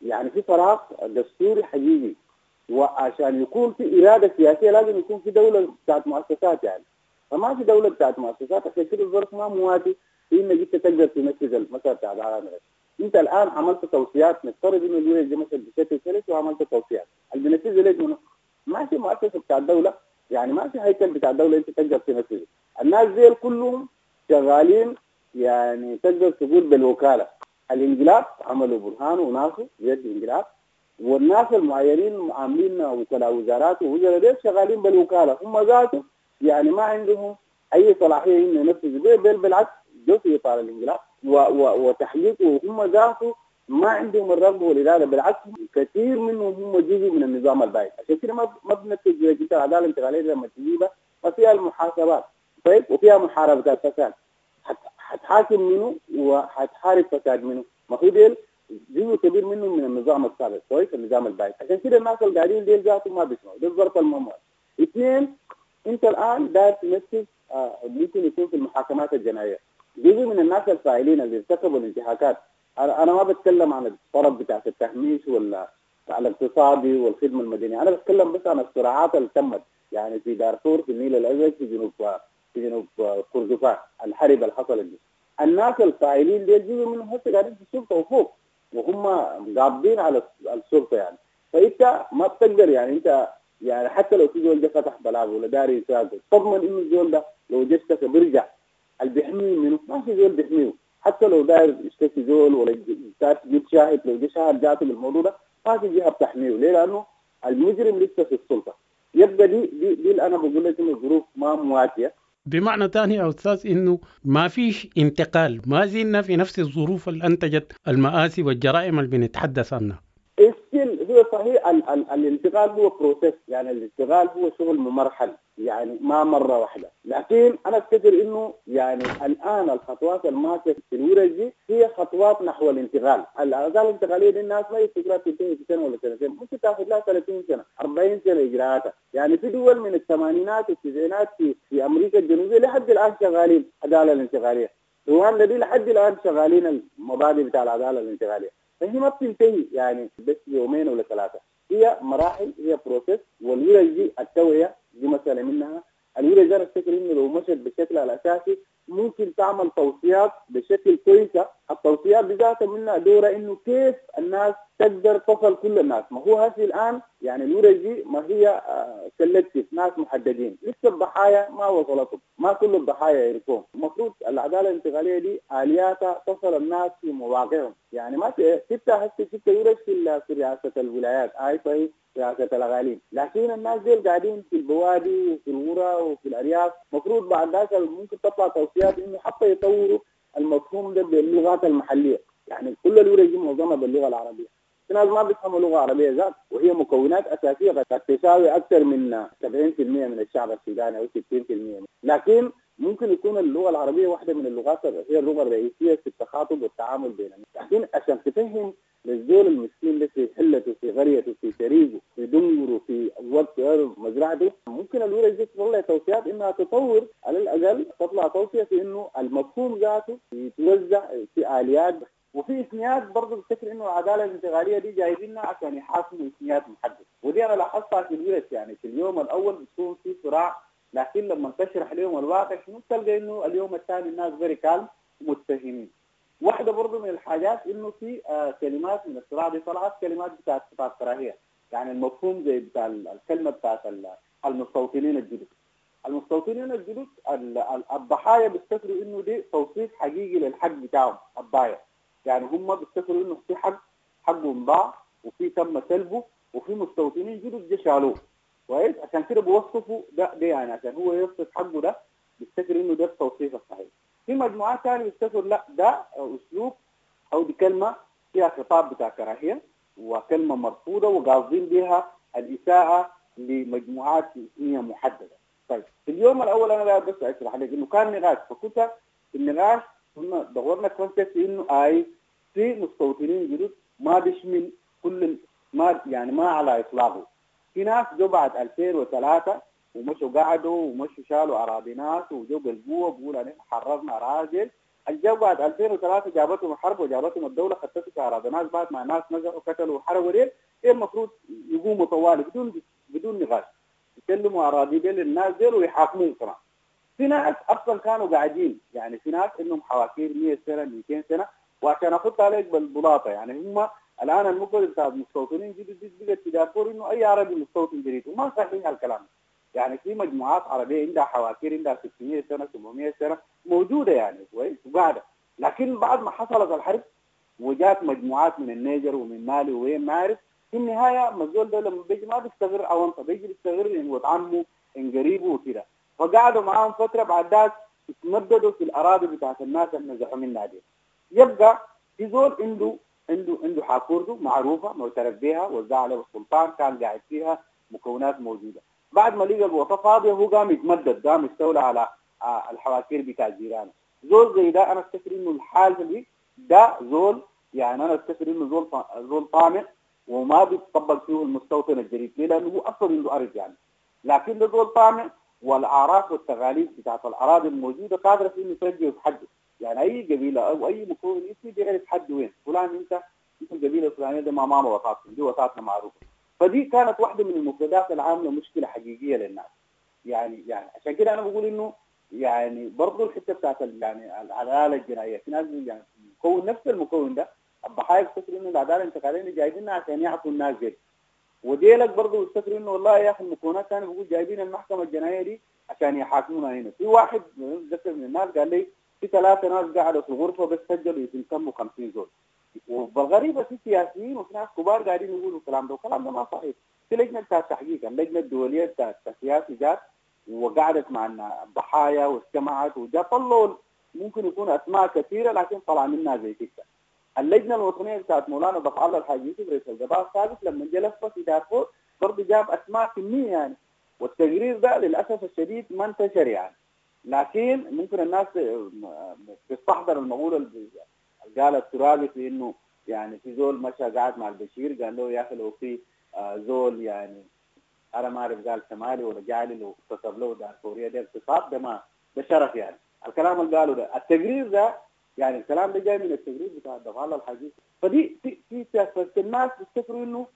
يعني في فراغ دستوري حقيقي، وعشان يكون في إرادة سياسية لازم يكون في دولة بتاعت مؤسسات يعني. فما في دولة بتاعت مؤسسات، عشان كده الظرف ما مواتي في انك انت تقدر تنفذ المسألة بتاعت العدالة. انت الان عملت توصيات، نفترض انه الورش دي مثلا بشكل سلس وعملت توصيات، اللي بينفذها ليك منو؟ ما في مؤسسة بتاع الدولة، يعني ما في هيكل بتاع الدولة انت تقدر تنفذه. الناس دي كلهم شغالين يعني تقدر تقول بالوكالة. الانقلاب عملوا برهان وناسه بيد الانقلاب، والناس المعينين عاملين وكلاء وزارات ووزراء ديل شغالين بالوكالة، هم ذاته يعني ما عندهم اي صلاحية انه ينفذوا، بل بالعكس جو في اطار الانقلاب وتحقيقه، وهم ذاته ما عندهم الرغبة والارادة، بالعكس كثير منهم هم جزء من النظام البائد. عشان كده ما ما بننفذ العدالة الانتقالية لما تجيبها ما فيها المحاسبات، طيب، وفيها محاربة الفساد، حتحاكم منه وحتحارب فساد منه، ما هو ديل جزء كبير منهم من النظام السابق، كويس، النظام البائد. عشان كده الناس اللي قاعدين ديل ذاتهم ما بيسمعوا، ده الظرف الممول. اثنين، انت الان داير تنفذ آه ممكن يكون في المحاكمات الجنائية جزء من الناس الفاعلين اللي ارتكبوا الانتهاكات. انا انا ما بتكلم عن الطرف بتاع التهميش ولا الاقتصادي والخدمة المدنية، انا بتكلم بس عن الصراعات اللي تمت يعني في دارفور، في النيل الازرق، في جنوب في جنوب كردفان، الحرب اللي حصلت دي. الناس الفاعلين دي جزء منهم هسه قاعدين في السلطة وفوق، وهم قابضين على السلطة يعني. فانت ما بتقدر يعني انت يعني حتى لو في زول جه فتح بلاغ ولا داري يساعده، تضمن انه الزول ده لو جه اشتكى بيرجع، اللي بيحميه منه ما في زول بيحميه، حتى لو داير يشتكي زول ولا تجيب شاهد، لو جه شاهد جاته بالموضوع ده ما في جهة بتحميه. ليه؟ لانه المجرم لسه في السلطة. يبقى دي دي, دي اللي انا بقول لك انه الظروف ما مواتيه. بمعنى ثاني يا استاذ انه ما فيش انتقال، ما زلنا في نفس الظروف اللي انتجت المآسي والجرائم اللي بنتحدث عنها. still هو صحيح ال ال الانتقال هو process، يعني الانتقال هو شغل ممرحل، يعني ما مرة واحدة، لكن انا افتكر انه يعني الان الخطوات الماشية في الورش دي هي خطوات نحو الانتقال. العدالة الانتقالية دي الناس ما يفتكرها تنتهي في سنة ولا سنتين، ممكن تاخذ لها ثلاثين سنة، أربعين سنة اجراءاتها. يعني في دول من الثمانينات والتسعينات في في امريكا الجنوبية لحد الان شغالين العدالة الانتقالية، رواندا دي لحد الان شغالين المبادئ بتاع العدالة الانتقالية. فهي ما بتنتهي يعني بس يومين ولا ثلاثة، هي مراحل، هي process. والورش دي التوعية دي مسألة منها. الورش دي انا افتكر انه لو مشت بشكل الاساسي ممكن تعمل توصيات بشكل كويسة التوصيات بذاتها منها دوره انه كيف الناس تقدر تصل كل الناس. ما هو هسه الان يعني الورش دي ما هي selective، ناس محددين، لسه الضحايا ما وصلتهم، ما كل الضحايا يعرفوهم. المفروض العدالة الانتقالية دي الياتها تصل الناس في مواقعهم. يعني ما ستة هسه ستة ورش في في رئاسة الولايات، اي في رئاسة الاقاليم، لكن الناس دي قاعدين في البوادي وفي القرى وفي الارياف. المفروض بعد ذاك ممكن تطلع توصيات انه حتى يطوروا المفهوم ده باللغات المحلية. يعني كل الورش دي معظمها باللغة العربية، في ناس ما بيفهموا لغة عربية ذات، وهي مكونات اساسية قد تساوي اكثر من سبعين بالمئة من الشعب السوداني او ستين بالمئة، لكن ممكن يكون اللغة العربية واحدة من اللغات هي اللغة الرئيسية في التخاطب والتعامل بيننا. لكن عشان تفهم للزول المسكين ده في حلته في قريته في شريقه في دنجره في وقت مزرعته، ممكن الورش دي تطلع توصيات انها تطور، على الاقل تطلع توصية في انه المفهوم ذاته يتوزع في اليات وفي اثنيات. برضه بفتكر انه العدالة الانتقالية دي جايبينها عشان يحاكموا اثنيات محددة، ودي انا لاحظتها في الورش. يعني في اليوم الاول بتكون في صراع، لكن لما تشرح لهم الواقع شنو تلقى انه اليوم الثاني الناس very calm ومتفهمين. واحدة برضه من الحاجات انه في آه كلمات من الصراع دي طلعت كلمات بتاعت بتاعت كراهية، يعني المفهوم زي بتاع الكلمة بتاعت المستوطنين الجدد. المستوطنين الجدد الضحايا بيفتكروا انه دي توصيف حقيقي للحق بتاعهم الضايع، يعني هم بيفتكروا انه في حق حقهم ضاع وفي تم سلبه وفي مستوطنين جدد جه شالوه. كويس، عشان كده بيوصفوا ده, ده يعني عشان هو يوصف حقه ده بيفتكر انه ده التوصيف الصحيح. في مجموعات ثانية بيفتكروا لا ده اسلوب او دي كلمة فيها خطاب بتاع كراهية وكلمه مرفوضة وقاصدين بها الاساءة لمجموعات اثنيه محددة. طيب في اليوم الاول انا بس اشرح لك انه كان نقاش، فكنت في النقاش كنا دورنا concept انه اي في مستوطنين جدد ما بيشمل كل ما يعني ما على اطلاقه. في ناس جو بعد ألفين وثلاثة ومشوا قعدوا ومشوا شالوا اراضي ناس وجو بالقوة بيقولوا نحن حررنا اراضي. الجو بعد ألفين وثلاثة جابتهم الحرب وجابتهم الدولة خطتوا في اراضي ناس بعد ما ناس نزلوا وقتلوا وحرقوا ديل، ايه المفروض يقوموا طوالي بدون بدون نقاش يسلموا اراضي ديل للناس ديل ويحاكموهم كمان. في ناس اصلا كانوا قاعدين، يعني في ناس انهم حواكير مئة سنة مئتين سنة، وعشان احط عليك بالبلاطه يعني هم الان المقبل بتاع المستوطنين جدد بقت في دارفور انه اي عربي مستوطن جديد، وما صحيح الكلام. يعني في مجموعات عربية عندها حواكير عندها ستمئة سنة سبعمئة سنة موجودة يعني كويس وقاعدة، لكن بعد ما حصلت الحرب وجات مجموعات من النيجر ومن مالي وين ما عارف، في النهاية ما الزول ده لما بيجي ما بيستغر اونطه، بيجي بيستغر ان ولد عمه ان قريبه وكده، فقعدوا معاهم فترة بعد ذاك اتمددوا في الاراضي بتاعت الناس اللي نزحوا منها دي. يبقى في زول عنده عنده عنده حاكورته معروفة معترف بها وزع عليه السلطان كان قاعد فيها مكونات موجودة، بعد ما لقى الوطا فاضية هو قام يتمدد قام يستولى على الحواكير بتاع جيرانه. زول زي ده انا افتكر انه الحالة دي ده زول يعني انا افتكر انه زول زول طامع وما بيتطبق فيه المستوطن الجديد، ليه؟ لانه هو اصلا عنده ارض يعني، لكن ده زول طامع والاعراف والتغاليب بتاعت الاراضي الموجودة قادرة في انه ترجع في حده. يعني اي قبيلة او اي مكون اسمي بيعرف حد وين، فلان انت انت القبيلة الفلانية ده ما ماما وطاتكم دي وطاتنا معروفة. فدي كانت واحدة من المفردات العاملة مشكلة حقيقية للناس. يعني يعني عشان كده انا بقول انه يعني برضه الحتة بتاعت يعني العدالة الجنائية في ناس يعني مكون نفس المكون ده الضحايا بيفتكروا انه العدالة الانتقالية جايبينها عشان يعطوا الناس دي، وديلك برضه بيفتكروا انه والله يا اخي المكونات ثانية بيقول جايبين المحكمة الجنائية دي عشان يحاكمونا هنا. في واحد ذكر من الناس قال لي في ثلاثة ناس قعدوا في الغرفة بس سجلوا يتم كم وخمسين زول، وبالغريبه في سياسيين وفي ناس كبار قاعدين يقولوا الكلام ده، والكلام ده ما صحيح. في لجنة بتاعت التحقيق، اللجنة الدولية بتاعت السياسي جات وقعدت مع الضحايا واجتمعت وجا طلعوا ممكن يكون اسماء كثيرة لكن طلع منها زي كده. اللجنة الوطنية بتاعت مولانا ضفع الله الحاج يوسف رئيس القضاء السابق لما جا لف في دارفور برضه جاب اسماء كمية يعني، والتقرير ده للاسف الشديد ما انتشر يعني، لكن ممكن الناس تستحضر المقولة اللي قال الترابي في انه يعني في زول مشى قاعد مع البشير قال له يا اخي لو في زول يعني انا ما اعرف قال شمالي ولا جعلي لو اغتصب له دارفوريه ده اغتصاب ده ما ده شرف يعني. الكلام اللي قاله ده التقرير ده يعني الكلام ده جاي من التقرير بتاع دفع الله الحاج. فدي في في الناس بيفتكروا انه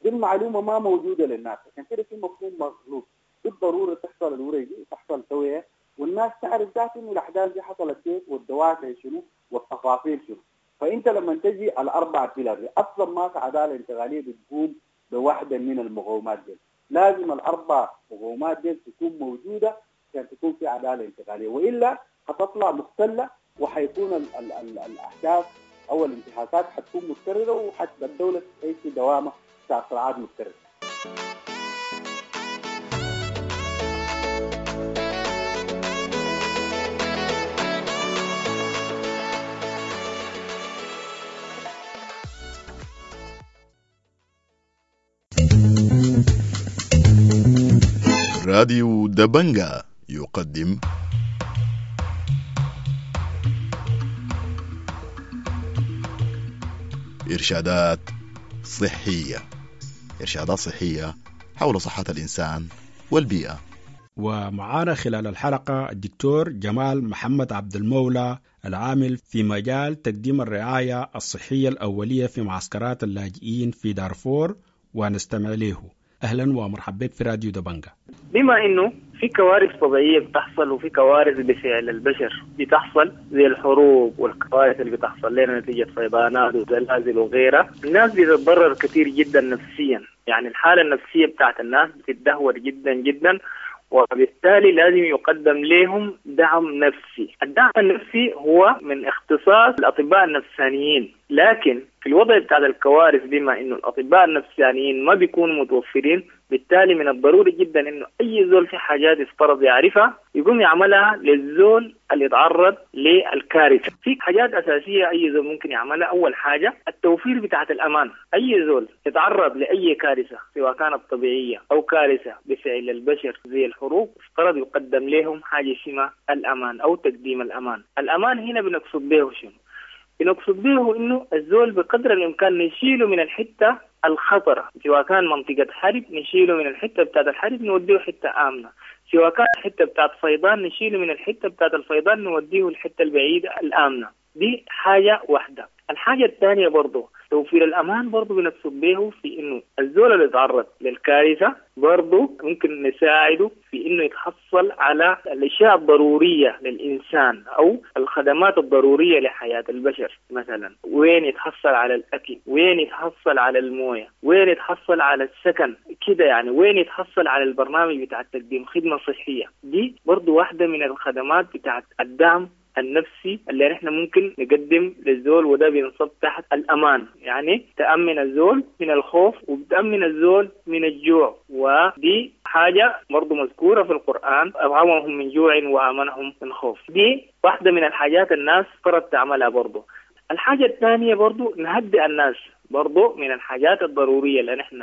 دي المعلومة ما موجودة للناس، عشان كده في مفهوم مغلوط. بالضرورة تحصل الورقة دي تحصل توعيه والناس تعرف ذات انه الاحداث دي حصلت كيف والدوافع شنو والتفاصيل شنو. فانت لما تجي الاربع pillar اصلا ما في عدالة انتقالية بتقوم بواحدة من المقومات دي، لازم الاربع مقومات دي تكون موجودة عشان تكون في عدالة انتقالية، والا حتطلع مختله وحيكون ال ال ال الاحداث او الانتهاكات حتكون متكررة وحتى الدولة تعيش في دوامه بتاع صراعات متكررة. راديو دبنجا يقدم إرشادات صحية. إرشادات صحية حول صحة الإنسان والبيئة. ومعانا خلال الحلقة الدكتور جمال محمد عبد المولى العامل في مجال تقديم الرعاية الصحية الأولية في معسكرات اللاجئين في دارفور، ونستمع له. أهلا ومرحبا بك في راديو دبنجا. بما إنه في كوارث طبيعية بتحصل وفي كوارث بفعل البشر بتحصل زي الحروب والكوارث اللي بتحصل لنا نتيجة فيضانات وزلازل وغيرها، الناس بتتضرر كثير جدا نفسيا، يعني الحالة النفسية بتاعت الناس بتتدهور جدا جدا، وبالتالي لازم يقدم لهم دعم نفسي. الدعم النفسي هو من اختصاص الأطباء النفسانيين، لكن في الوضع بتاع الكوارث بما إنه الأطباء النفسانيين ما بيكونوا متوفرين، بالتالي من الضروري جدا إنه أي زول في حاجات يفترض يعرفها يقوم يعملها للزول اللي يتعرض للكارثة. في حاجات أساسية أي زول ممكن يعملها. أول حاجة التوفير بتاعة الأمان. أي زول يتعرض لأي كارثة سواء كانت طبيعية أو كارثة بفعل البشر زي الحروب، افترض يقدم لهم حاجة اسمها الأمان أو تقديم الأمان. الأمان هنا بنقصد به شنو؟ بنقصد به إنه الزول بقدر الإمكان نشيله من الحتة الخطرة، سواء كان منطقة حرب نشيله من الحتة بتاعت الحرب نوديه حتة آمنة، سواء كان حتة بتاعت فيضان نشيله من الحتة بتاعت الفيضان نوديه الحتة البعيدة الآمنة. دي حاجة واحدة. الحاجة الثانية برضو توفير الأمان برضو بنقصد به في إنه الزول اللي يتعرض للكارثة برضو ممكن نساعده في إنه يتحصل على الأشياء الضرورية للإنسان أو الخدمات الضرورية لحياة البشر. مثلا وين يتحصل على الأكل، وين يتحصل على الموية، وين يتحصل على السكن كده، يعني وين يتحصل على البرنامج بتاع تقديم خدمة صحية. دي برضو واحدة من الخدمات بتاعت الدعم النفسي اللي نحن ممكن نقدم للزول، وده بينصب تحت الأمان، يعني تأمن الزول من الخوف وبتأمن الزول من الجوع، ودي حاجة برضو مذكورة في القرآن، أطعمهم من جوع وآمنهم من خوف. دي واحدة من الحاجات الناس فرض تعملها برضو. الحاجة الثانية برضو نهدئ الناس، برضو من الحاجات الضرورية اللي نحن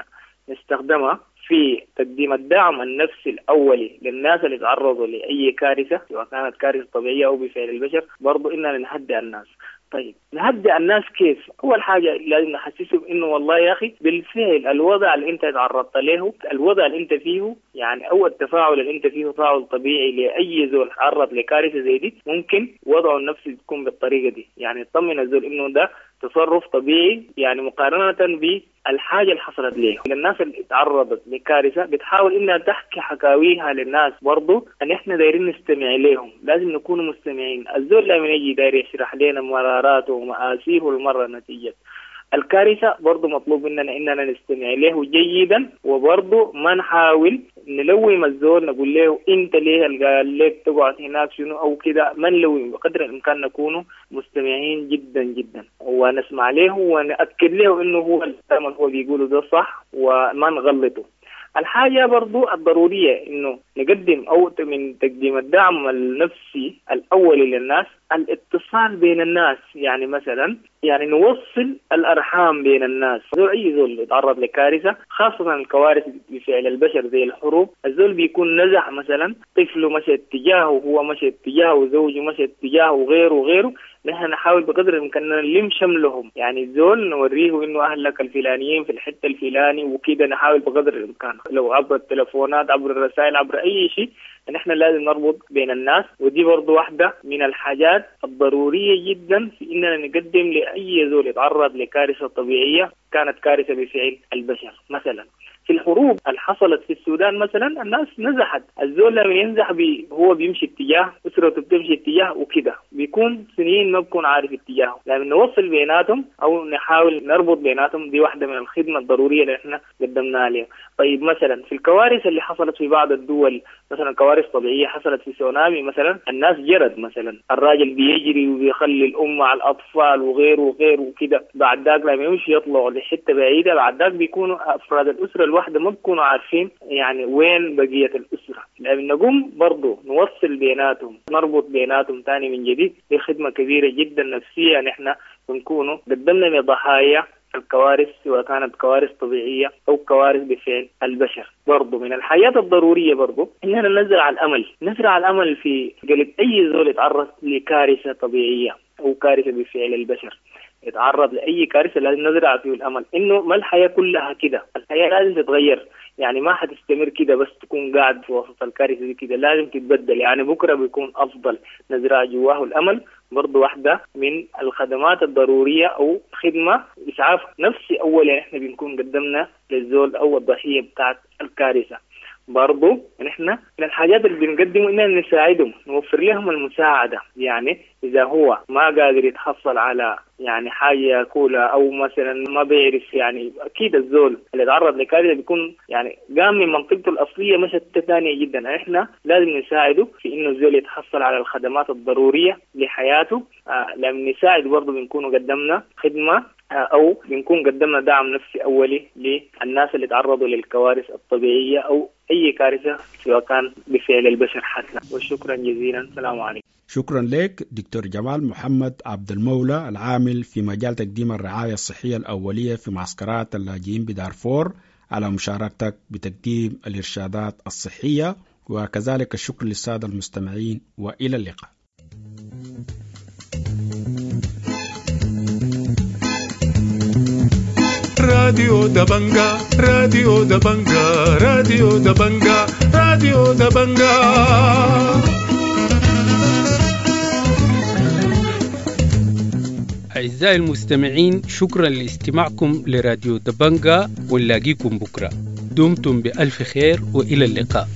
نستخدمها في تقديم الدعم النفسي الأولي للناس اللي تعرضوا لأي كارثة سواء كانت كارثة طبيعية أو بفعل البشر، برضو إننا نهدئ الناس. طيب نهدئ الناس كيف؟ أول حاجة لازم نحسسهم إنه والله يا أخي بالفعل الوضع اللي أنت تعرضت له، الوضع اللي أنت فيه، يعني أو التفاعل اللي أنت فيه تفاعل طبيعي لأي زول تعرض لكارثة زي دي، ممكن وضعه النفسي تكون بالطريقة دي، يعني تطمن الزول إنه ده تصرف طبيعي، يعني مقارنة بالحاجة اللي حصلت ليه. الناس اللي تعرضت لكارثة بتحاول إنها تحكي حكاويها للناس، برضو أن إحنا دايرين نستمع لهم، لازم نكون مستمعين. الزول لما يجي داير يشرح لنا مراراته ومآسيه المرة نتيجة الكارثة، برضو مطلوب مننا إننا نستمع له جيدا، وبرضو ما نحاول نلوم الزول نقول له أنت ليه قال لك تقعد هناك شنو أو كده، ما نلوم، بقدر الإمكان نكون مستمعين جدا جدا ونسمع له ونأكد له إنه هو الكلام اللي هو بيقوله ده صح وما نغلطه. الحاجة برضو الضرورية إنه نقدم أو من تقديم الدعم النفسي الأولي للناس الاتصال بين الناس، يعني مثلا يعني نوصل الأرحام بين الناس. زول أي زول يتعرض لكارثة، خاصة الكوارث بفعل البشر زي الحروب، الزول بيكون نزع مثلا طفله مشى اتجاهه وهو مشى اتجاهه وزوجه مشى اتجاهه وغيره وغيره، نحن نحاول بقدر الإمكان نلم شملهم، يعني الزول نوريه إنه أهلك الفلانيين في الحتة الفلاني وكده، نحاول بقدر الإمكان لو عبر التلفونات عبر الرسائل عبر أي شيء، نحن لازم نربط بين الناس. ودي برضو واحدة من الحاجات الضرورية جدا في إننا نقدم لأي زول يتعرض لكارثة طبيعية كانت كارثة بفعل البشر. مثلا في الحروب اللي حصلت في السودان مثلا الناس نزحت، الزول لما ينزح بي هو بيمشي اتجاه، أسرته بتمشي اتجاه وكده، بيكون سنين ما بكون عارف اتجاهه. لما نوصل بيناتهم أو نحاول نربط بيناتهم، دي واحدة من الخدمة الضرورية اللي احنا قدمناها لهم. طيب مثلا في الكوارث اللي حصلت في بعض الدول، مثلا كوارث طبيعية حصلت في سونامي مثلا، الناس جرت مثلا، الراجل بيجري وبيخلي الأم مع الأطفال وغيره وغيره وكده، بعد ذاك لما يمشي يطلعوا لحتة بعيدة، بعد ذاك بيكونوا أفراد الأسرة الواحدة ما بيكونوا عارفين يعني وين بقية الأسرة. لما نقوم برضو نوصل بيناتهم، نربط بيناتهم تاني من جديد، دي خدمة كبيرة جدا نفسية نحن بنكونوا قدمنا لضحايا الكوارث، سواء كانت كوارث طبيعية أو كوارث بفعل البشر. برضو من الحياة الضرورية برضو إننا نزرع الأمل، نزرع الأمل في قلب أي زول يتعرض لكارثة طبيعية أو كارثة بفعل البشر، يتعرض لأي كارثة لازم نزرع فيه الأمل إنه ما الحياة كلها كده، الحياة لازم تتغير، يعني ما حتستمر كده بس تكون قاعد في وسط الكارثة دي كده، لازم تتبدل، يعني بكرة بيكون أفضل. نزرع جواه الأمل برضو واحدة من الخدمات الضرورية أو خدمة إسعاف نفسي أولا إحنا بنكون قدمنا للزول أو الضحية بتاعت الكارثة. برضو نحن من الحاجات اللي بنقدمه إننا نساعدهم، نوفر لهم المساعدة، يعني إذا هو ما قادر يتحصل على يعني حاجة ياكلها أو مثلا ما بيعرف، يعني أكيد الزول اللي تعرض لكارثة بيكون يعني قام من منطقته الأصلية مشت ثانية جدا، إحنا لازم نساعده في إنه الزول يتحصل على الخدمات الضرورية لحياته. آه لما نساعد برضو بنكون قدمنا خدمة أو بنكون قدمنا دعم نفسي أولي للناس اللي تعرضوا للكوارث الطبيعية أو أي كارثة سواء كان بفعل البشر حتى. وشكرا جزيلا، السلام عليكم. شكرا لك دكتور جمال محمد عبد المولى، العامل في مجال تقديم الرعاية الصحية الأولية في معسكرات اللاجئين بدارفور، على مشاركتك بتقديم الإرشادات الصحية، وكذلك الشكر للسادة المستمعين، وإلى اللقاء. راديو دبنجا، راديو دبنجا، راديو دبنجا، راديو دبنجا. أعزائي المستمعين، شكرا لاستماعكم لراديو دبنجا، ونلاقيكم بكرة. دمتم بألف خير وإلى اللقاء.